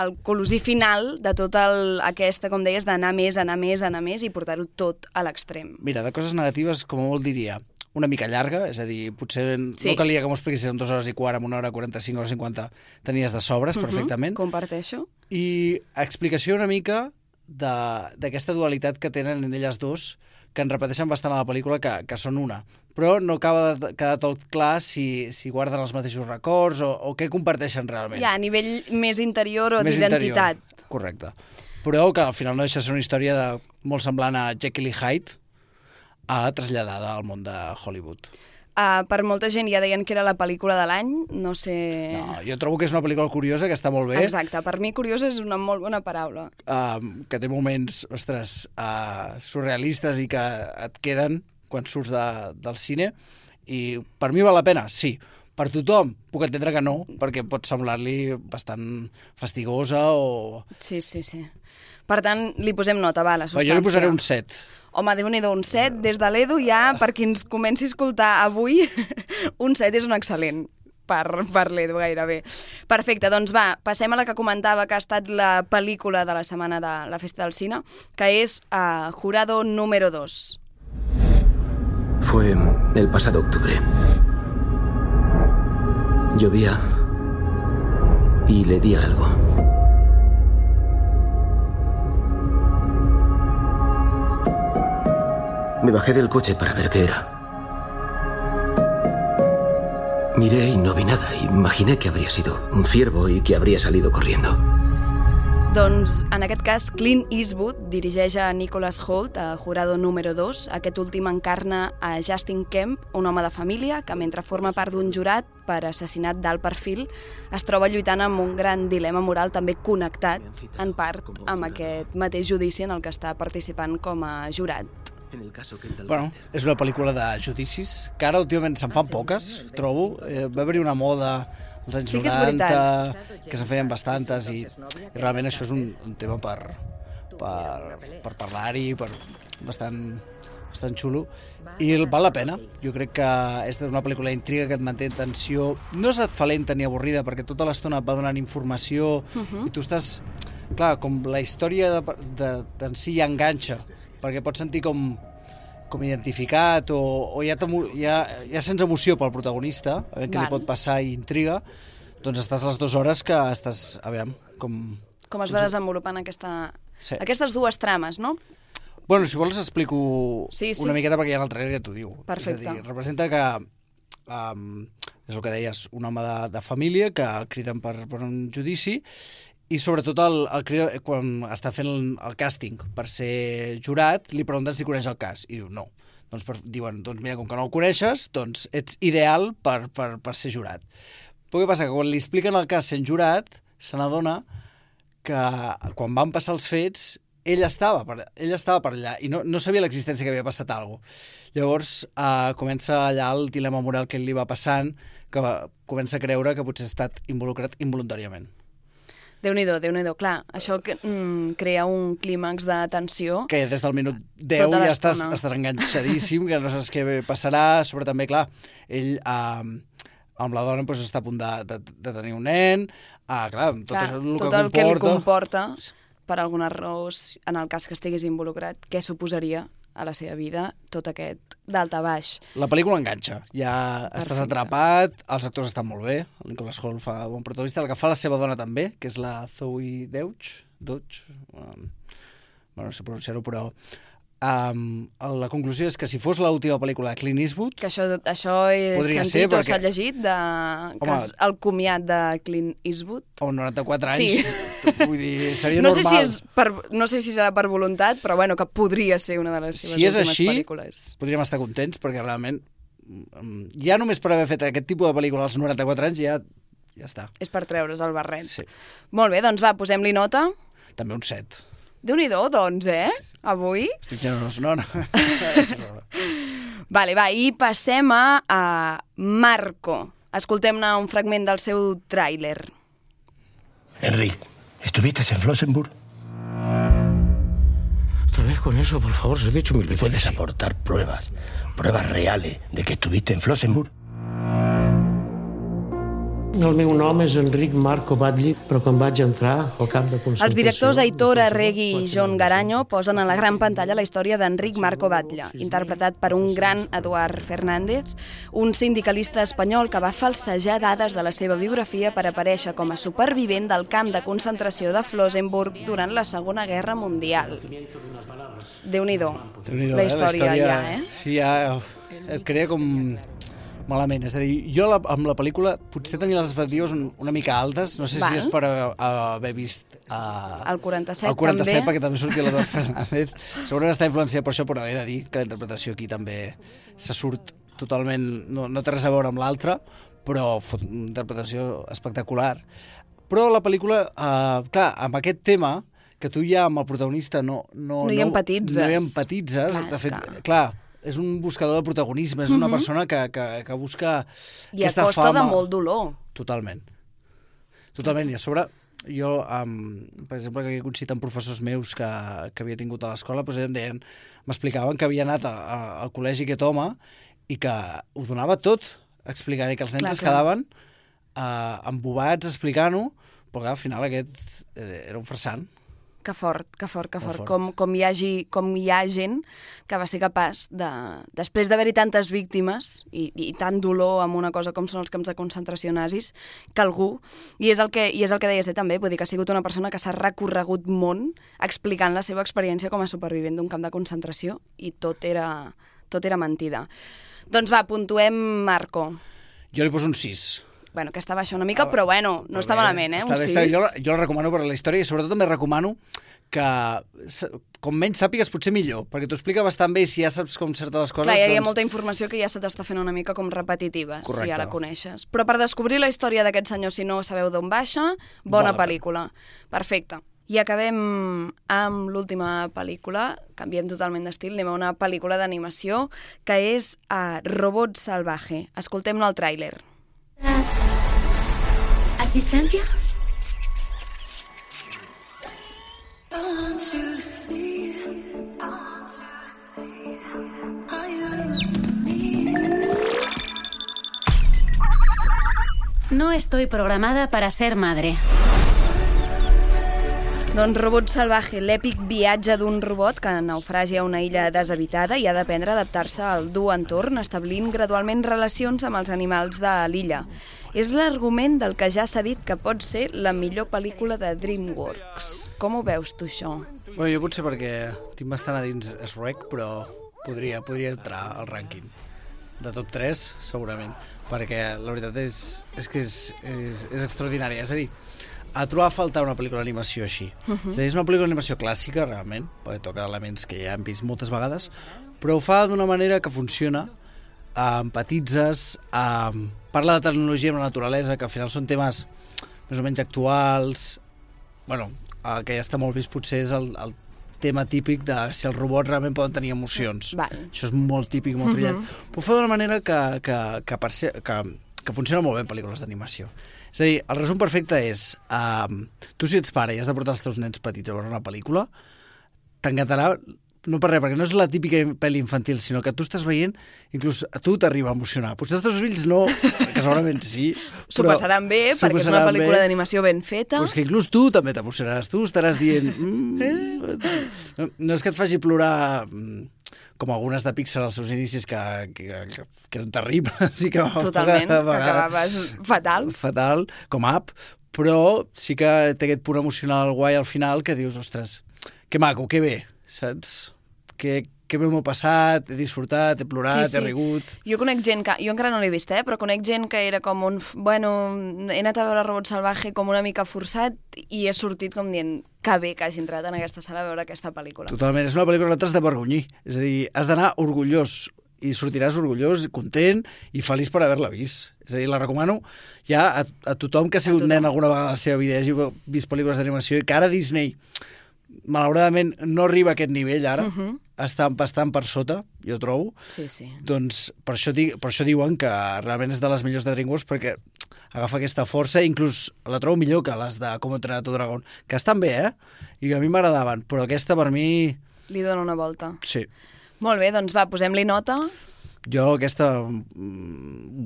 el colosí final de tot el, aquesta, com deies, d'anar més, anar més, anar més i portar-ho tot a l'extrem. Mira, de coses negatives, com molt diria, una mica llarga, és a dir, potser Sí. no calia que m'ho expliquessis en dues hores i quart, en una hora quaranta-cinc, hora cinquanta, tenies de sobres, Mhm, perfectament. Comparteixo. I explicació una mica d'aquesta dualitat que tenen en elles dos, que en repeteixen bastant a la pel·lícula, que, que són una. Però no acaba de quedar tot clar si, si guarden els mateixos records o, o què comparteixen realment. Ja, a nivell més interior o Més d'identitat. interior, correcte. Però que al final no deixa de ser una història de, molt semblant a Jekyll i Hyde, a traslladada al món de Hollywood. Uh, per molta gent ja deien que era la pel·lícula de l'any, no sé... No, jo trobo que és una pel·lícula curiosa, que està molt bé. Exacte, per mi curiosa és una molt bona paraula. Uh, que té moments, ostres, uh, surrealistes i que et queden quan surts de, del cine. I per mi val la pena, sí. Per tothom puc entendre que no, perquè pot semblar-li bastant fastigosa o... Sí, sí, sí. Per tant, li posem nota, va, la substància. Jo li posaré un set. Home, Déu-n'hi-do, un set. Des de l'Edu ja, per qui ens comenci a escoltar avui, un set és un excel·lent per, per l'Edu gairebé. Perfecte, doncs va, passem a la que comentava que ha estat la pel·lícula de la setmana de la Festa del Cine, que és uh, Jurado número dos. Fue el pasado octubre. Llovía y le di algo. Me bajé del coche para ver qué era. Miré y no vi nada. Imaginé que habría sido un ciervo y que habría salido corriendo. Doncs, en aquest cas, Clint Eastwood dirigeix a Nicholas Hoult, a Jurado número dos. Aquest últim encarna a Justin Kemp, un home de família que, mentre forma part d'un jurat per assassinat d'alt perfil, es troba lluitant amb un gran dilema moral també connectat, en part, amb aquest mateix judici en el que està participant com a jurat. Bueno, és una pel·lícula de judicis, que ara últimament se'n fan poques, trobo. Eh, va haver-hi una moda als anys Sí que és noranta, veritat. que se'n feien bastantes, i, i realment això és un, un tema per, per, per parlar-hi, per bastant, bastant xulo, i val la pena. Jo crec que és una pel·lícula d'intriga que et manté en tensió. No és et fa lenta ni avorrida, perquè tota l'estona et va donant informació, Mhm. i tu estàs... Clar, com la història de, de, d'en si ja enganxa, perquè pots sentir com, com identificat o, o ja, ja, ja sents emoció pel protagonista, a veure què Val. li pot passar i intriga, doncs estàs les dues hores que estàs, a veure, com... Com es va desenvolupant aquesta, Sí. aquestes dues trames, no? Bueno, si vols explico Sí, sí. una miqueta perquè ja en el trailer ja t'ho diu. Perfecte. És a dir, representa que um, és el que deies, un home de, de família que el criden per, per un judici i sobretot el, el crida, quan està fent el, el càsting per ser jurat, li pregunten si coneix el cas i diu no. Doncs per, diuen, doncs mira, com que no el coneixes, doncs ets ideal per, per, per ser jurat. Però què passa? Que quan li expliquen el cas sent jurat, se n'adona que quan van passar els fets ell estava per, ell estava per allà i no, no sabia l'existència que havia passat alguna cosa. Llavors eh, comença allà el dilema moral que li va passant, que va, comença a creure que potser ha estat involucrat involuntàriament. Déu-n'hi-do, Déu-n'hi-do. Clar, això que, mm, crea un clímax de tensió. Que des del minut deu Tota ja estàs, l'estona. estàs enganxadíssim, que no saps què passarà, sobre també, clar, ell eh, amb la dona doncs, està a punt de, de, de tenir un nen, ah, clar, tot, Clar, això, el tot que el que li comporta... comporta, per alguna raó, en el cas que estigués involucrat, què suposaria a la seva vida tot aquest d'alt a baix. La pel·lícula enganxa, ja Perfecte. estàs atrapat, els actors estan molt bé, el Nicholas Hoult fa bon protagonista, el que fa la seva dona també, que és la Zoe Deutch, Deutch, um, bueno, no sé pronunciar-ho, però um, la conclusió és que si fos l'última pel·lícula de Clint Eastwood... Que això, això he podria sentit ser, o perquè- s'ha llegit, de, que Home, és el comiat de Clint Eastwood. Amb noranta-quatre anys, Sí. vull dir, seria no normal. Sé si és per, no sé si serà per voluntat, però bueno, que podria ser una de les seves Si és últimes així, pel·lícules. podríem estar contents, perquè realment mm, ja només per haver fet aquest tipus de pel·lícula als noranta-quatre anys ja, ja està. És per treure's el barret. Sí. Molt bé, doncs va, posem-li nota. També un set. Déu-n'hi-do, doncs, eh? Avui. Estic generós, no? no. Vale, va, i passem a, a Marco. Escoltem-ne un fragment del seu tràiler. Enric, ¿estuviste en Flossenburg? Otra vez con eso, por favor, se he dicho mil veces. ¿Puedes aportar pruebas, pruebas reales de que estuviste en Flossenburg? El meu nom és Enric Marco Batlle, però quan vaig entrar al camp de concentració... Els directors Aitor Arregui i John Garanyo posen a la gran pantalla la història d'Enric Marco Batlle, interpretat per un gran Eduard Fernández, un sindicalista espanyol que va falsejar dades de la seva biografia per aparèixer com a supervivent del camp de concentració de Flossenburg durant la Segona Guerra Mundial. Déu-n'hi-do, Déu-n'hi-do, la eh? història ja, eh? Sí, ja et crea com malament. És a dir, jo la, amb la pel·lícula potser tenia les expectatives un, una mica altes, no sé Val. si és per uh, haver vist uh, El quaranta-set, el quaranta-set també. perquè també sortia l'Eduard Fernández. Segurament està influenciat per això, però he de dir que la interpretació aquí també se surt totalment... No, no té res a veure amb l'altra, però fot una interpretació espectacular. Però la pel·lícula, uh, clar, amb aquest tema, que tu ja amb el protagonista no... No, No hi empatitzes. No hi empatitzes. Clar, de fet, esclar. clar, és un buscador de protagonisme, és una Mhm. persona que, que, que busca I a aquesta costa fama. de molt dolor. Totalment. Totalment. I a sobre, jo, um, per exemple, que he coincidit amb professors meus que, que havia tingut a l'escola, doncs em deien, m'explicaven que havia anat a, a, al col·legi aquest home i que ho donava tot explicant, i que els nens Clar, es clar. quedaven uh, embobats explicant-ho, però clar, al final aquest eh, era un farsant. Que fort, que fort, que Molt fort. fort. Com, com, hi hagi, com hi ha gent que va ser capaç de, després d'haver-hi tantes víctimes i, i tant dolor amb una cosa com són els camps de concentració nazis, que algú, i és el que, i és el que deia ser també, vull dir que ha sigut una persona que s'ha recorregut món explicant la seva experiència com a supervivent d'un camp de concentració i tot era, tot era mentida. Doncs va, puntuem Marco. Jo li poso un sis. Bueno, aquesta baixa una mica, però bueno, no està malament, eh? Està Un bé, sis. està bé. Jo, la- jo la recomano per la història i sobretot també recomano que s- com menys sàpigues potser millor, perquè t'ho explica bastant bé i si ja saps com certes les coses... Clar, hi ha doncs... molta informació que ja se t'està fent una mica com repetitiva, Correcte. si ja la coneixes. Però per descobrir la història d'aquest senyor, si no sabeu d'on baixa, bona Val la pel·lícula. Perfecte. I acabem amb l'última pel·lícula, canviem totalment d'estil, anem a una pel·lícula d'animació que és uh, Robot Salvaje. Escoltem-ne el tràiler. ¿Asistencia? No estoy programada para ser madre. Doncs Robot Salvaje, l'èpic viatge d'un robot que naufragia a una illa deshabitada i ha d'aprendre a adaptar-se al dur entorn, establint gradualment relacions amb els animals de l'illa. És l'argument del que ja s'ha dit que pot ser la millor pel·lícula de DreamWorks. Com ho veus tu, això? Bueno, jo potser perquè tinc bastant a dins Shrek, però podria, podria entrar al rànquing. De top tres, segurament. Perquè la veritat és, és que és, és, és extraordinària. És a dir, a trobar a faltar una pel·lícula d'animació així. Uh -huh. És a dir, és una pel·lícula d'animació clàssica, realment, perquè toca elements que ja hem vist moltes vegades, però ho fa d'una manera que funciona, eh, empatitzes, eh, parla de tecnologia amb la naturalesa, que al final són temes més o menys actuals. Bueno, el que ja està molt vist potser és el, el tema típic de si els robots realment poden tenir emocions. Val. Això és molt típic, molt trillat. Mhm. Però ho fa d'una manera que, que, que, per ser, que, que que funciona molt bé en pel·lícules d'animació. És a dir, el resum perfecte és, uh, tu si ets pare i has de portar els teus nens petits a veure una pel·lícula, t'encantarà, no per res, perquè no és la típica pel·li infantil, sinó que tu estàs veient, inclús a tu t'arriba a emocionar. Potser els teus fills no, que segurament sí. S'ho passaran bé, perquè és una pel·lícula d'animació ben feta. Però és que inclús tu també t'emocionaràs. Tu estaràs dient... Mm, no, no és que et faci plorar com algunes de Pixar als seus inicis que, que, que, que eren terribles. I que Totalment, que acabaves fatal. Fatal, com Up, però sí que té aquest punt emocional guai al final que dius, ostres, que maco, que bé, saps? Que, que bé m'ho he passat, he disfrutat, he plorat, sí, sí. he rigut... Jo conec gent que... Jo encara no l'he vist, eh? Però conec gent que era com un... Bueno, he anat a veure Robot Salvaje com una mica forçat i he sortit com dient que bé que hagi entrat en aquesta sala a veure aquesta pel·lícula. Totalment, és una pel·lícula que no t'has de vergonyir. És a dir, has d'anar orgullós i sortiràs orgullós, content i feliç per haver-la vist. És a dir, la recomano ja a, a tothom que ha sigut nen alguna vegada a la seva vida i hagi vist pel·lícules d'animació i que ara Disney malauradament no arriba a aquest nivell ara, uh -huh. està bastant per sota, jo trobo. Sí, sí. Doncs per això, per això diuen que realment és de les millors de DreamWorks, perquè agafa aquesta força, inclús la trobo millor que les de Com entrenar tu dragón, que estan bé, eh? I que a mi m'agradaven, però aquesta per mi... Li dona una volta. Sí. Molt bé, doncs va, posem-li nota. Jo aquesta...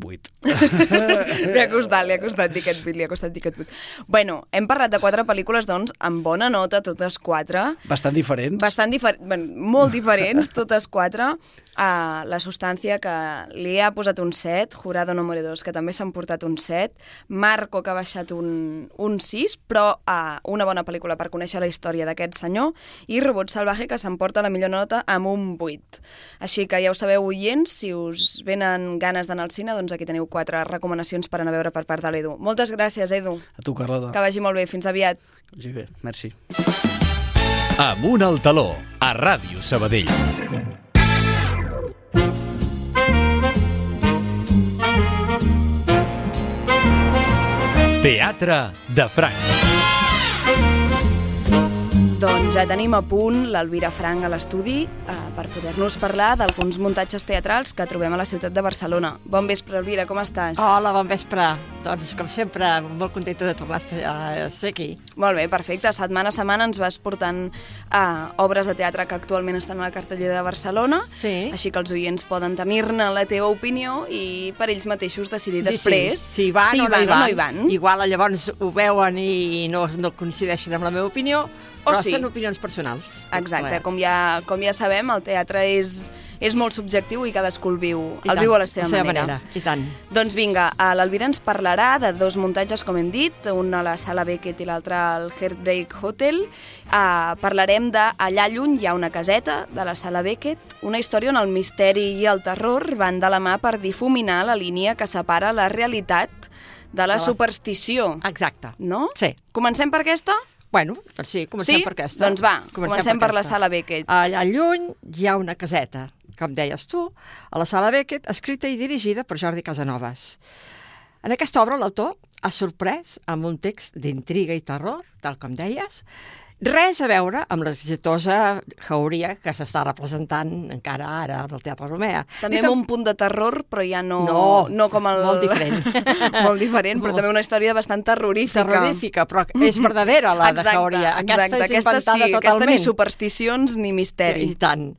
vuit. Li ha costat, li ha costat dir aquest vuit, li ha costat dir aquest vuit. Bueno, hem parlat de quatre pel·lícules, doncs, amb bona nota, totes quatre. Bastant diferents. Bastant diferents, bueno, molt diferents, totes quatre. Uh, la Substància, que li ha posat un set, Jurado número dos, que també s'han portat un set, Marco, que ha baixat un, un sis, però uh, una bona pel·lícula per conèixer la història d'aquest senyor, i Robot Salvaje, que s'emporta la millor nota amb un vuit. Així que ja ho sabeu, oients, si us venen ganes d'anar al cine, doncs aquí teniu quatre recomanacions per anar a veure per part de l'Edu. Moltes gràcies, Edu. A tu, Carlota. Que vagi molt bé. Fins aviat. Que vagi bé. Merci. Amunt al taló, a Ràdio Sabadell. Teatre de Franc. Doncs ja tenim a punt l'Elvira Franc a l'estudi eh, per poder-nos parlar d'alguns muntatges teatrals que trobem a la ciutat de Barcelona. Bon vespre, Elvira, com estàs? Hola, bon vespre. Doncs, com sempre, molt contenta de tornar a ser aquí. Molt bé, perfecte. Setmana a setmana ens vas portant eh, obres de teatre que actualment estan a la cartellera de Barcelona, sí. Així que els oients poden tenir-ne la teva opinió i per ells mateixos decidir després si, si van, si o, van, no hi van. o no hi van. Igual llavors ho veuen i no, no coincideixen amb la meva opinió, però sí. Són opinions personals. Exacte, com ja, com ja sabem, el teatre és, és molt subjectiu i cadascú el viu, I el tant, viu a la seva, la seva manera. manera. I tant. Doncs vinga, l'Elvira ens parlarà de dos muntatges, com hem dit, un a la Sala Beckett i l'altre al Heartbreak Hotel. Uh, parlarem de Allà lluny hi ha una caseta, de la Sala Beckett, una història on el misteri i el terror van de la mà per difuminar la línia que separa la realitat de la superstició. Exacte. No? Sí. Comencem per aquesta? Bueno, doncs sí, comencem sí? per aquesta. Doncs va, comencem, comencem per, per la Sala Beckett. Allà lluny hi ha una caseta, com deies tu, a la Sala Beckett, escrita i dirigida per Jordi Casanovas. En aquesta obra l'autor ha sorprès amb un text d'intriga i terror, tal com deies, res a veure amb l'exitosa jauria que s'està representant encara ara del Teatre Romea. També amb un punt de terror, però ja no, no, no com el... Molt diferent. molt diferent, però molt... també una història bastant terrorífica. Terrorífica, però és verdadera, la exacte, de jauria. Aquesta exacte, és inventada aquesta sí, totalment. Aquesta ni supersticions ni misteri. I tant.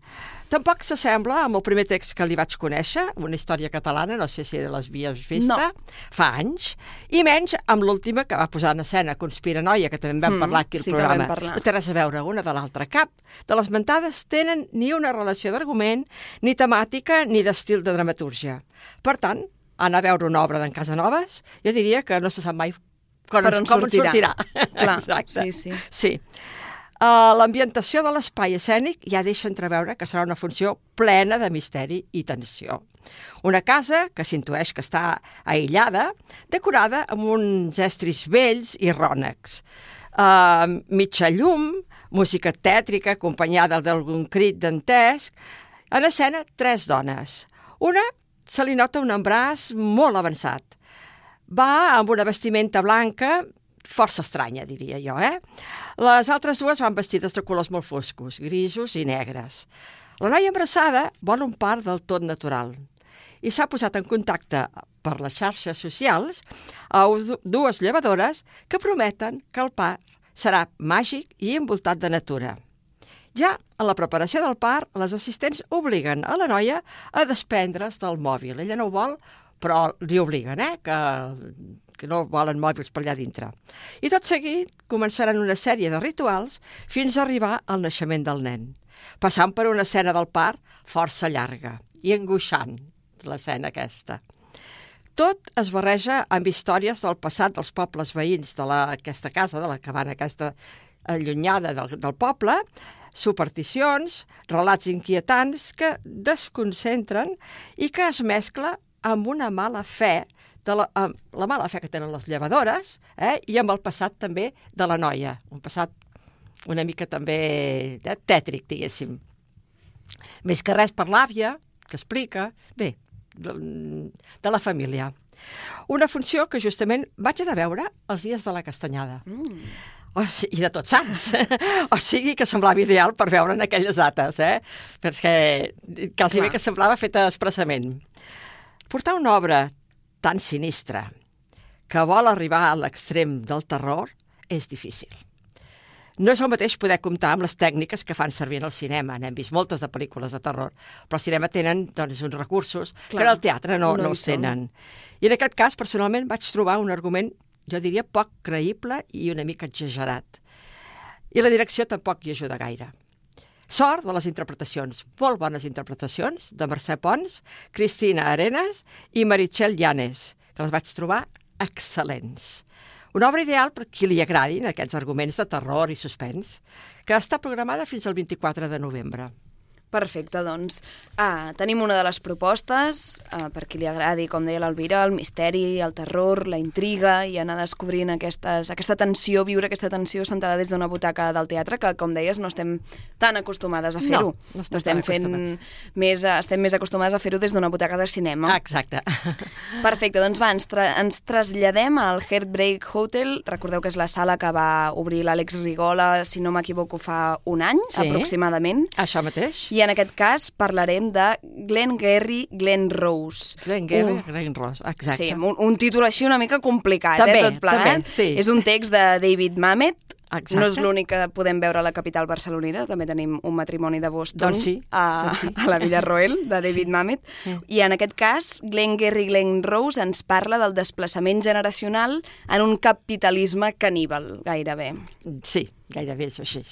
Tampoc s'assembla amb el primer text que li vaig conèixer, una història catalana, no sé si les havies vista, no. Fa anys, i menys amb l'última que va posar en escena, Conspiranoia, que també en vam mm, parlar aquí al sí programa. No té res a veure una de l'altra. Cap de les mentades tenen ni una relació d'argument, ni temàtica, ni d'estil de dramatúrgia. Per tant, anar a veure una obra d'en Casanovas, jo diria que no se sap mai com, per on com sortirà. sortirà. Clar, exacte. sí, sí. Sí. Uh, l'ambientació de l'espai escènic ja deixa entreveure que serà una funció plena de misteri i tensió. Una casa que s'intueix que està aïllada, decorada amb uns estris vells i rònecs. Uh, mitja llum, música tètrica acompanyada d'algun crit dantesc. En escena, tres dones. Una se li nota un embràs molt avançat. Va amb una vestimenta blanca, força estranya, diria jo, eh? Les altres dues van vestides de colors molt foscos, grisos i negres. La noia embarassada vol un part del tot natural. i s'ha posat en contacte per les xarxes socials a dues llevadores que prometen que el parc serà màgic i envoltat de natura. Ja en la preparació del parc, les assistents obliguen a la noia a desprendre's del mòbil. Ella no ho vol, però li obliguen, eh? que, que no volen mòbils per allà dintre. I tot seguit començaran una sèrie de rituals fins a arribar al naixement del nen, passant per una escena del parc força llarga i angoixant, l'escena aquesta. Tot es barreja amb històries del passat dels pobles veïns d'aquesta casa, de la cabana aquesta allunyada del, del poble, supersticions, relats inquietants que desconcentren i que es mescla amb una mala fe, de la, amb la mala fe que tenen les llevadores, eh, i amb el passat també de la noia, un passat una mica també eh, tètric, diguéssim. Més que res per l'àvia, que explica, bé, de, de la família. Una funció que justament vaig anar a veure els dies de la Castanyada. Mm. O sigui, i de Tots Sants. O sigui que semblava ideal per veure en aquelles dates, eh? Perquè quasi bé que semblava feta expressament. Portar una obra tan sinistra que vol arribar a l'extrem del terror és difícil. No és el mateix poder comptar amb les tècniques que fan servir en el cinema. N'hem vist moltes de pel·lícules de terror, però al cinema tenen doncs, uns recursos Clar, que al teatre no, no, no els tenen. I en aquest cas, personalment, vaig trobar un argument, jo diria, poc creïble i una mica exagerat. I la direcció tampoc hi ajuda gaire. Sort de les interpretacions, molt bones interpretacions, de Mercè Pons, Cristina Arenas i Meritxell Llanes, que les vaig trobar excel·lents. Una obra ideal per qui li agradin aquests arguments de terror i suspens, que està programada fins al vint-i-quatre de novembre. Perfecte, doncs ah, tenim una de les propostes, ah, per qui li agradi, com deia l'Elvira, el misteri, el terror, la intriga, i anar descobrint aquestes, aquesta tensió, viure aquesta tensió sentada des d'una butaca del teatre, que, com deies, no estem tan acostumades a fer-ho. No, no estem, estem tan fent més, estem més acostumades a fer-ho des d'una butaca de cinema. Ah, exacte. Perfecte, doncs va, ens, tra ens traslladem al Heartbreak Hotel. Recordeu que és la sala que va obrir l'Àlex Rigola, si no m'equivoco, fa un any, sí, aproximadament. Això mateix. I en aquest cas parlarem de Glengarry Glen Rose. Glengarry Glen Rose, exacte. Sí, un, un títol així una mica complicat, també, eh, tot plegat. També, sí. És un text de David Mamet. Exacte. No és l'únic que podem veure a la capital barcelonina, també tenim Un matrimoni de Boston, doncs sí, a, doncs sí. a la Villa Roel, de David sí. Mamet. Sí. I en aquest cas, Glengarry Glen Rose ens parla del desplaçament generacional en un capitalisme caníbal, gairebé. Sí, gairebé és així.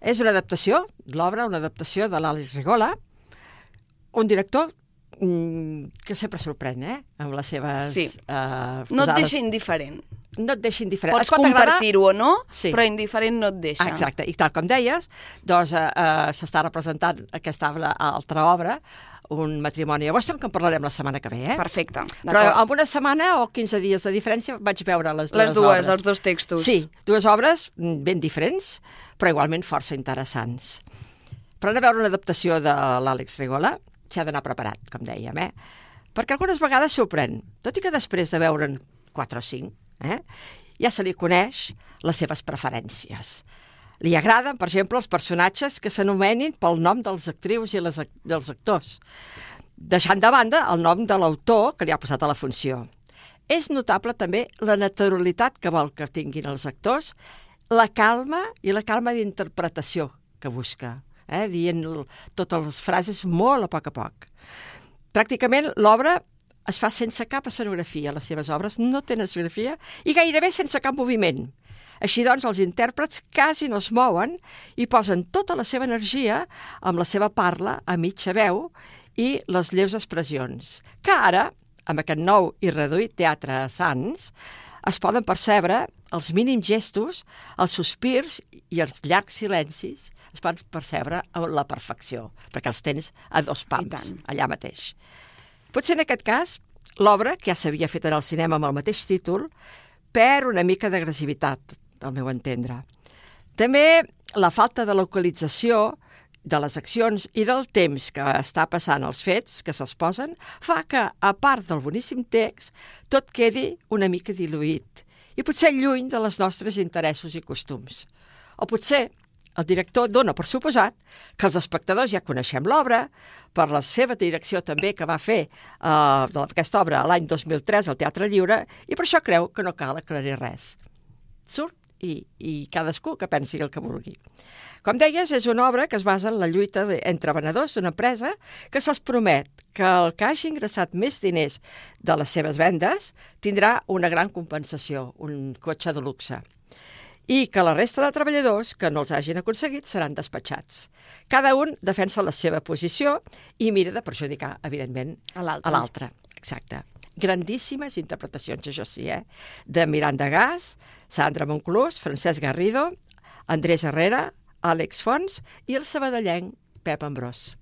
És una adaptació, l'obra, una adaptació de l'Àlex Rigola, un director mm, que sempre sorprèn, eh?, amb les seves... Sí, uh, no et deixa indiferent. No et deixa indiferent. Pots pot compartir-ho o no, sí, però indiferent no et deixa. Exacte, i tal com deies, doncs uh, uh, s'està representant aquesta altra obra, Un matrimoni a Boston, que en parlarem la setmana que ve, eh? Perfecte, però en una setmana o quinze dies de diferència vaig veure les dues, les dues obres. Els dos textos. Sí, dues obres ben diferents, però igualment força interessants. Per anar a veure una adaptació de l'Àlex Rigola, s'ha d'anar preparat, com dèiem, eh? Perquè algunes vegades sorprèn, tot i que després de veure'n quatre o cinc, eh, ja se li coneix les seves preferències. Li agraden, per exemple, els personatges que s'anomenin pel nom dels actrius i les, dels actors, deixant de banda el nom de l'autor que li ha posat a la funció. És notable també la naturalitat que vol que tinguin els actors, la calma i la calma d'interpretació que busca, eh, dient totes les frases molt a poc a poc. Pràcticament l'obra es fa sense cap escenografia, les seves obres no tenen escenografia i gairebé sense cap moviment. Així doncs, els intèrprets quasi no es mouen i posen tota la seva energia amb la seva parla a mitja veu i les lleus expressions, que ara, amb aquest nou i reduït teatre a Sants, es poden percebre els mínims gestos, els sospirs i els llargs silencis es poden percebre a la perfecció, perquè els tens a dos pams, allà mateix. Potser en aquest cas, l'obra, que ja s'havia fet en el cinema amb el mateix títol, perd una mica d'agressivitat, al meu entendre. També la falta de localització de les accions i del temps que està passant els fets que s'exposen fa que, a part del boníssim text, tot quedi una mica diluït i potser lluny de les nostres interessos i costums. O potser El director dona per suposat que els espectadors ja coneixem l'obra, per la seva direcció també que va fer uh, aquesta obra l'any dos mil tres al Teatre Lliure, i per això creu que no cal aclarir res. Surt i, i cadascú que pensi el que vulgui. Com deies, és una obra que es basa en la lluita de, entre venedors d'una empresa que se'ls promet que el que hagi ingressat més diners de les seves vendes tindrà una gran compensació, un cotxe de luxe, i que la resta de treballadors que no els hagin aconseguit seran despatxats. Cada un defensa la seva posició i mira de perjudicar, evidentment, a l'altre. Exacte. Grandíssimes interpretacions, això sí, eh? De Miranda Gas, Sandra Monclús, Francesc Garrido, Andrés Herrera, Àlex Fons i el sabadellenc Pep Ambrós.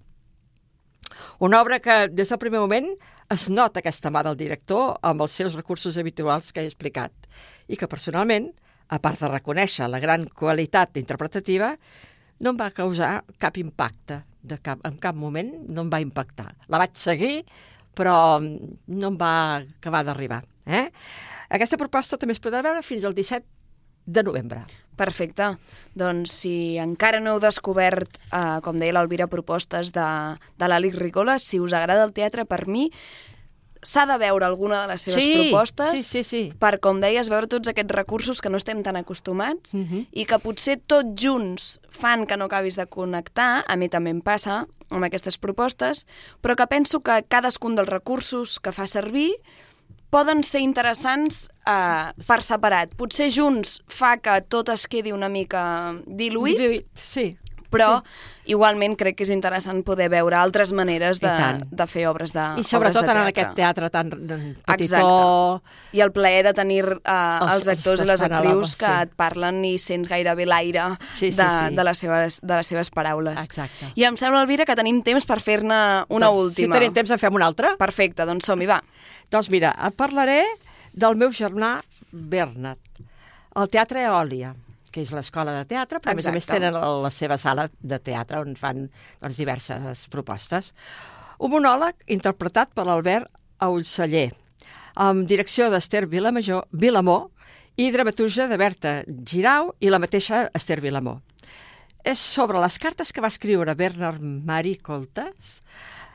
Una obra que des del primer moment es nota aquesta mà del director amb els seus recursos habituals que he explicat i que personalment, a part de reconèixer la gran qualitat interpretativa, no em va causar cap impacte, de cap, en cap moment no em va impactar. La vaig seguir, però no em va acabar d'arribar. Eh? Aquesta proposta també es podrà veure fins al disset de novembre. Perfecte. Doncs si encara no heu descobert, eh, com deia l'Alvira, propostes de, de l'Àlex Ricola, si us agrada el teatre, per mi s'ha de veure alguna de les seves sí, propostes sí, sí, sí. per, com deies, veure tots aquests recursos que no estem tan acostumats uh-huh. i que potser tots junts fan que no acabis de connectar. A mi també em passa amb aquestes propostes, però que penso que cadascun dels recursos que fa servir poden ser interessants eh, per separat. Potser junts fa que tot es quedi una mica diluït, diluït sí. però sí. igualment crec que és interessant poder veure altres maneres de, de fer obres de I sobretot obres de en aquest teatre tan petitó. Exacte. I el plaer de tenir uh, els, els actors i les actrius que sí. et parlen i sents gairebé l'aire sí, sí, de, sí. de, les seves, de les seves paraules. Exacte. I em sembla, Elvira, que tenim temps per fer-ne una doncs, última. Si tenim temps en fem una altra. Perfecte, doncs som-hi, va. Doncs mira, et parlaré del meu germà Bernat, al Teatre Eòlia, que és l'escola de teatre, però Exacte. A més a més tenen la seva sala de teatre on fan doncs, diverses propostes. Un monòleg interpretat per l'Albert Aulceller, amb direcció d'Ester Vilamajor, Vilamor i dramaturgia de Berta Girau i la mateixa Ester Vilamor. És sobre les cartes que va escriure Bernard Marie Coltes,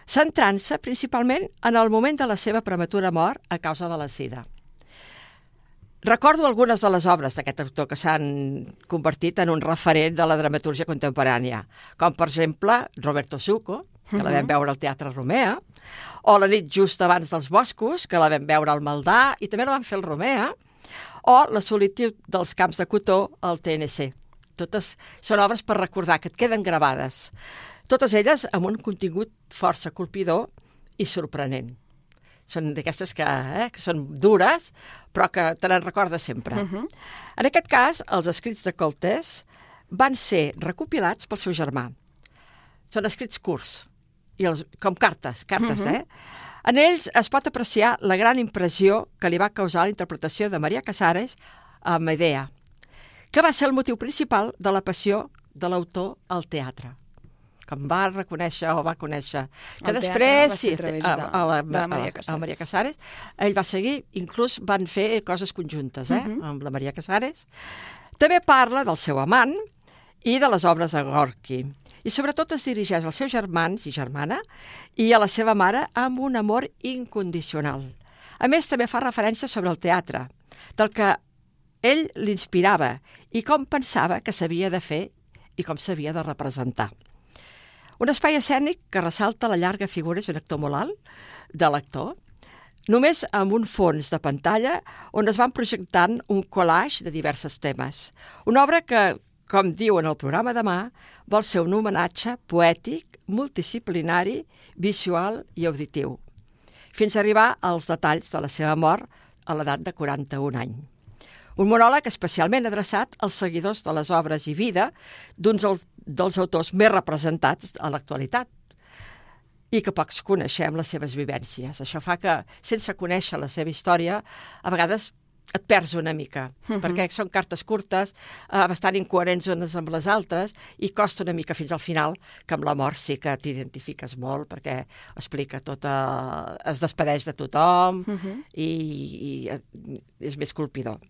centrant-se principalment en el moment de la seva prematura mort a causa de la sida. Recordo algunes de les obres d'aquest autor que s'han convertit en un referent de la dramaturgia contemporània, com per exemple Roberto Suco, que la vam veure al Teatre Romea, o La nit just abans dels boscos, que la vam veure al Maldà i també la van fer al Romea, o La solitud dels camps de cotó al T N C. Totes són obres per recordar, que et queden gravades. Totes elles amb un contingut força colpidor i sorprenent. Són d'aquestes que, eh, que són dures, però que te n'en recordes sempre. Uh-huh. En aquest cas, els escrits de Coltes van ser recopilats pel seu germà. Són escrits curts, i els, com cartes, cartes, uh-huh. eh? En ells es pot apreciar la gran impressió que li va causar la interpretació de Maria Casares a Medea, que va ser el motiu principal de la passió de l'autor al teatre, que em va reconèixer o va conèixer. Que el després, sí, a, a, a, la, de la Maria Casares. A, a Maria Casares, ell va seguir, inclús van fer coses conjuntes, eh, uh-huh. amb la Maria Casares. També parla del seu amant i de les obres de Gorky. I sobretot es dirigeix als seus germans i germana i a la seva mare amb un amor incondicional. A més, també fa referència sobre el teatre, del que ell l'inspirava i com pensava que s'havia de fer i com s'havia de representar. Un espai escènic que ressalta la llarga figura, és un actor molt alt, de l'actor, només amb un fons de pantalla on es van projectant un collage de diversos temes. Una obra que, com diu en el programa demà, vol ser un homenatge poètic, multidisciplinari, visual i auditiu, fins a arribar als detalls de la seva mort a l'edat de quaranta-un anys. Un monòleg especialment adreçat als seguidors de les obres i vida d'uns dels autors més representats a l'actualitat i que pocs coneixem les seves vivències. Això fa que, sense conèixer la seva història, a vegades et perds una mica, uh-huh. perquè són cartes curtes, eh, bastant incoherents unes amb les altres, i costa una mica fins al final, que amb la mort sí que t'identifiques molt, perquè explica tot, eh, es despedeix de tothom, uh-huh. i, i és més colpidor.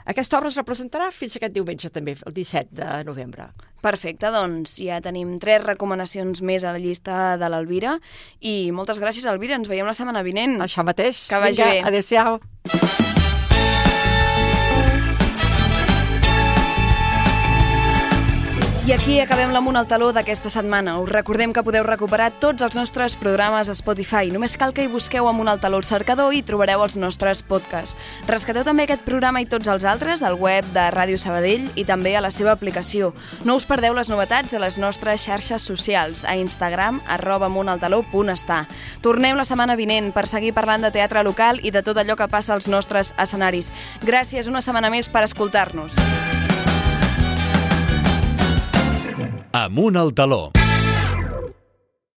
Aquesta obra es representarà fins aquest diumenge també, el disset de novembre. Perfecte, doncs ja tenim tres recomanacions més a la llista de l'Elvira i moltes gràcies, Elvira, ens veiem la setmana vinent. Això mateix. Que vagi Vinga, bé. Adéu-siau. I aquí acabem l'Amunt al Taló d'aquesta setmana. Us recordem que podeu recuperar tots els nostres programes a Spotify. Només cal que hi busqueu Amunt al Taló al cercador i trobareu els nostres podcasts. Rescateu també aquest programa i tots els altres al web de Ràdio Sabadell i també a la seva aplicació. No us perdeu les novetats a les nostres xarxes socials, a Instagram, arroba amuntaltaló punt està. Tornem la setmana vinent per seguir parlant de teatre local i de tot allò que passa als nostres escenaris. Gràcies una setmana més per escoltar-nos. Amunt al Taló.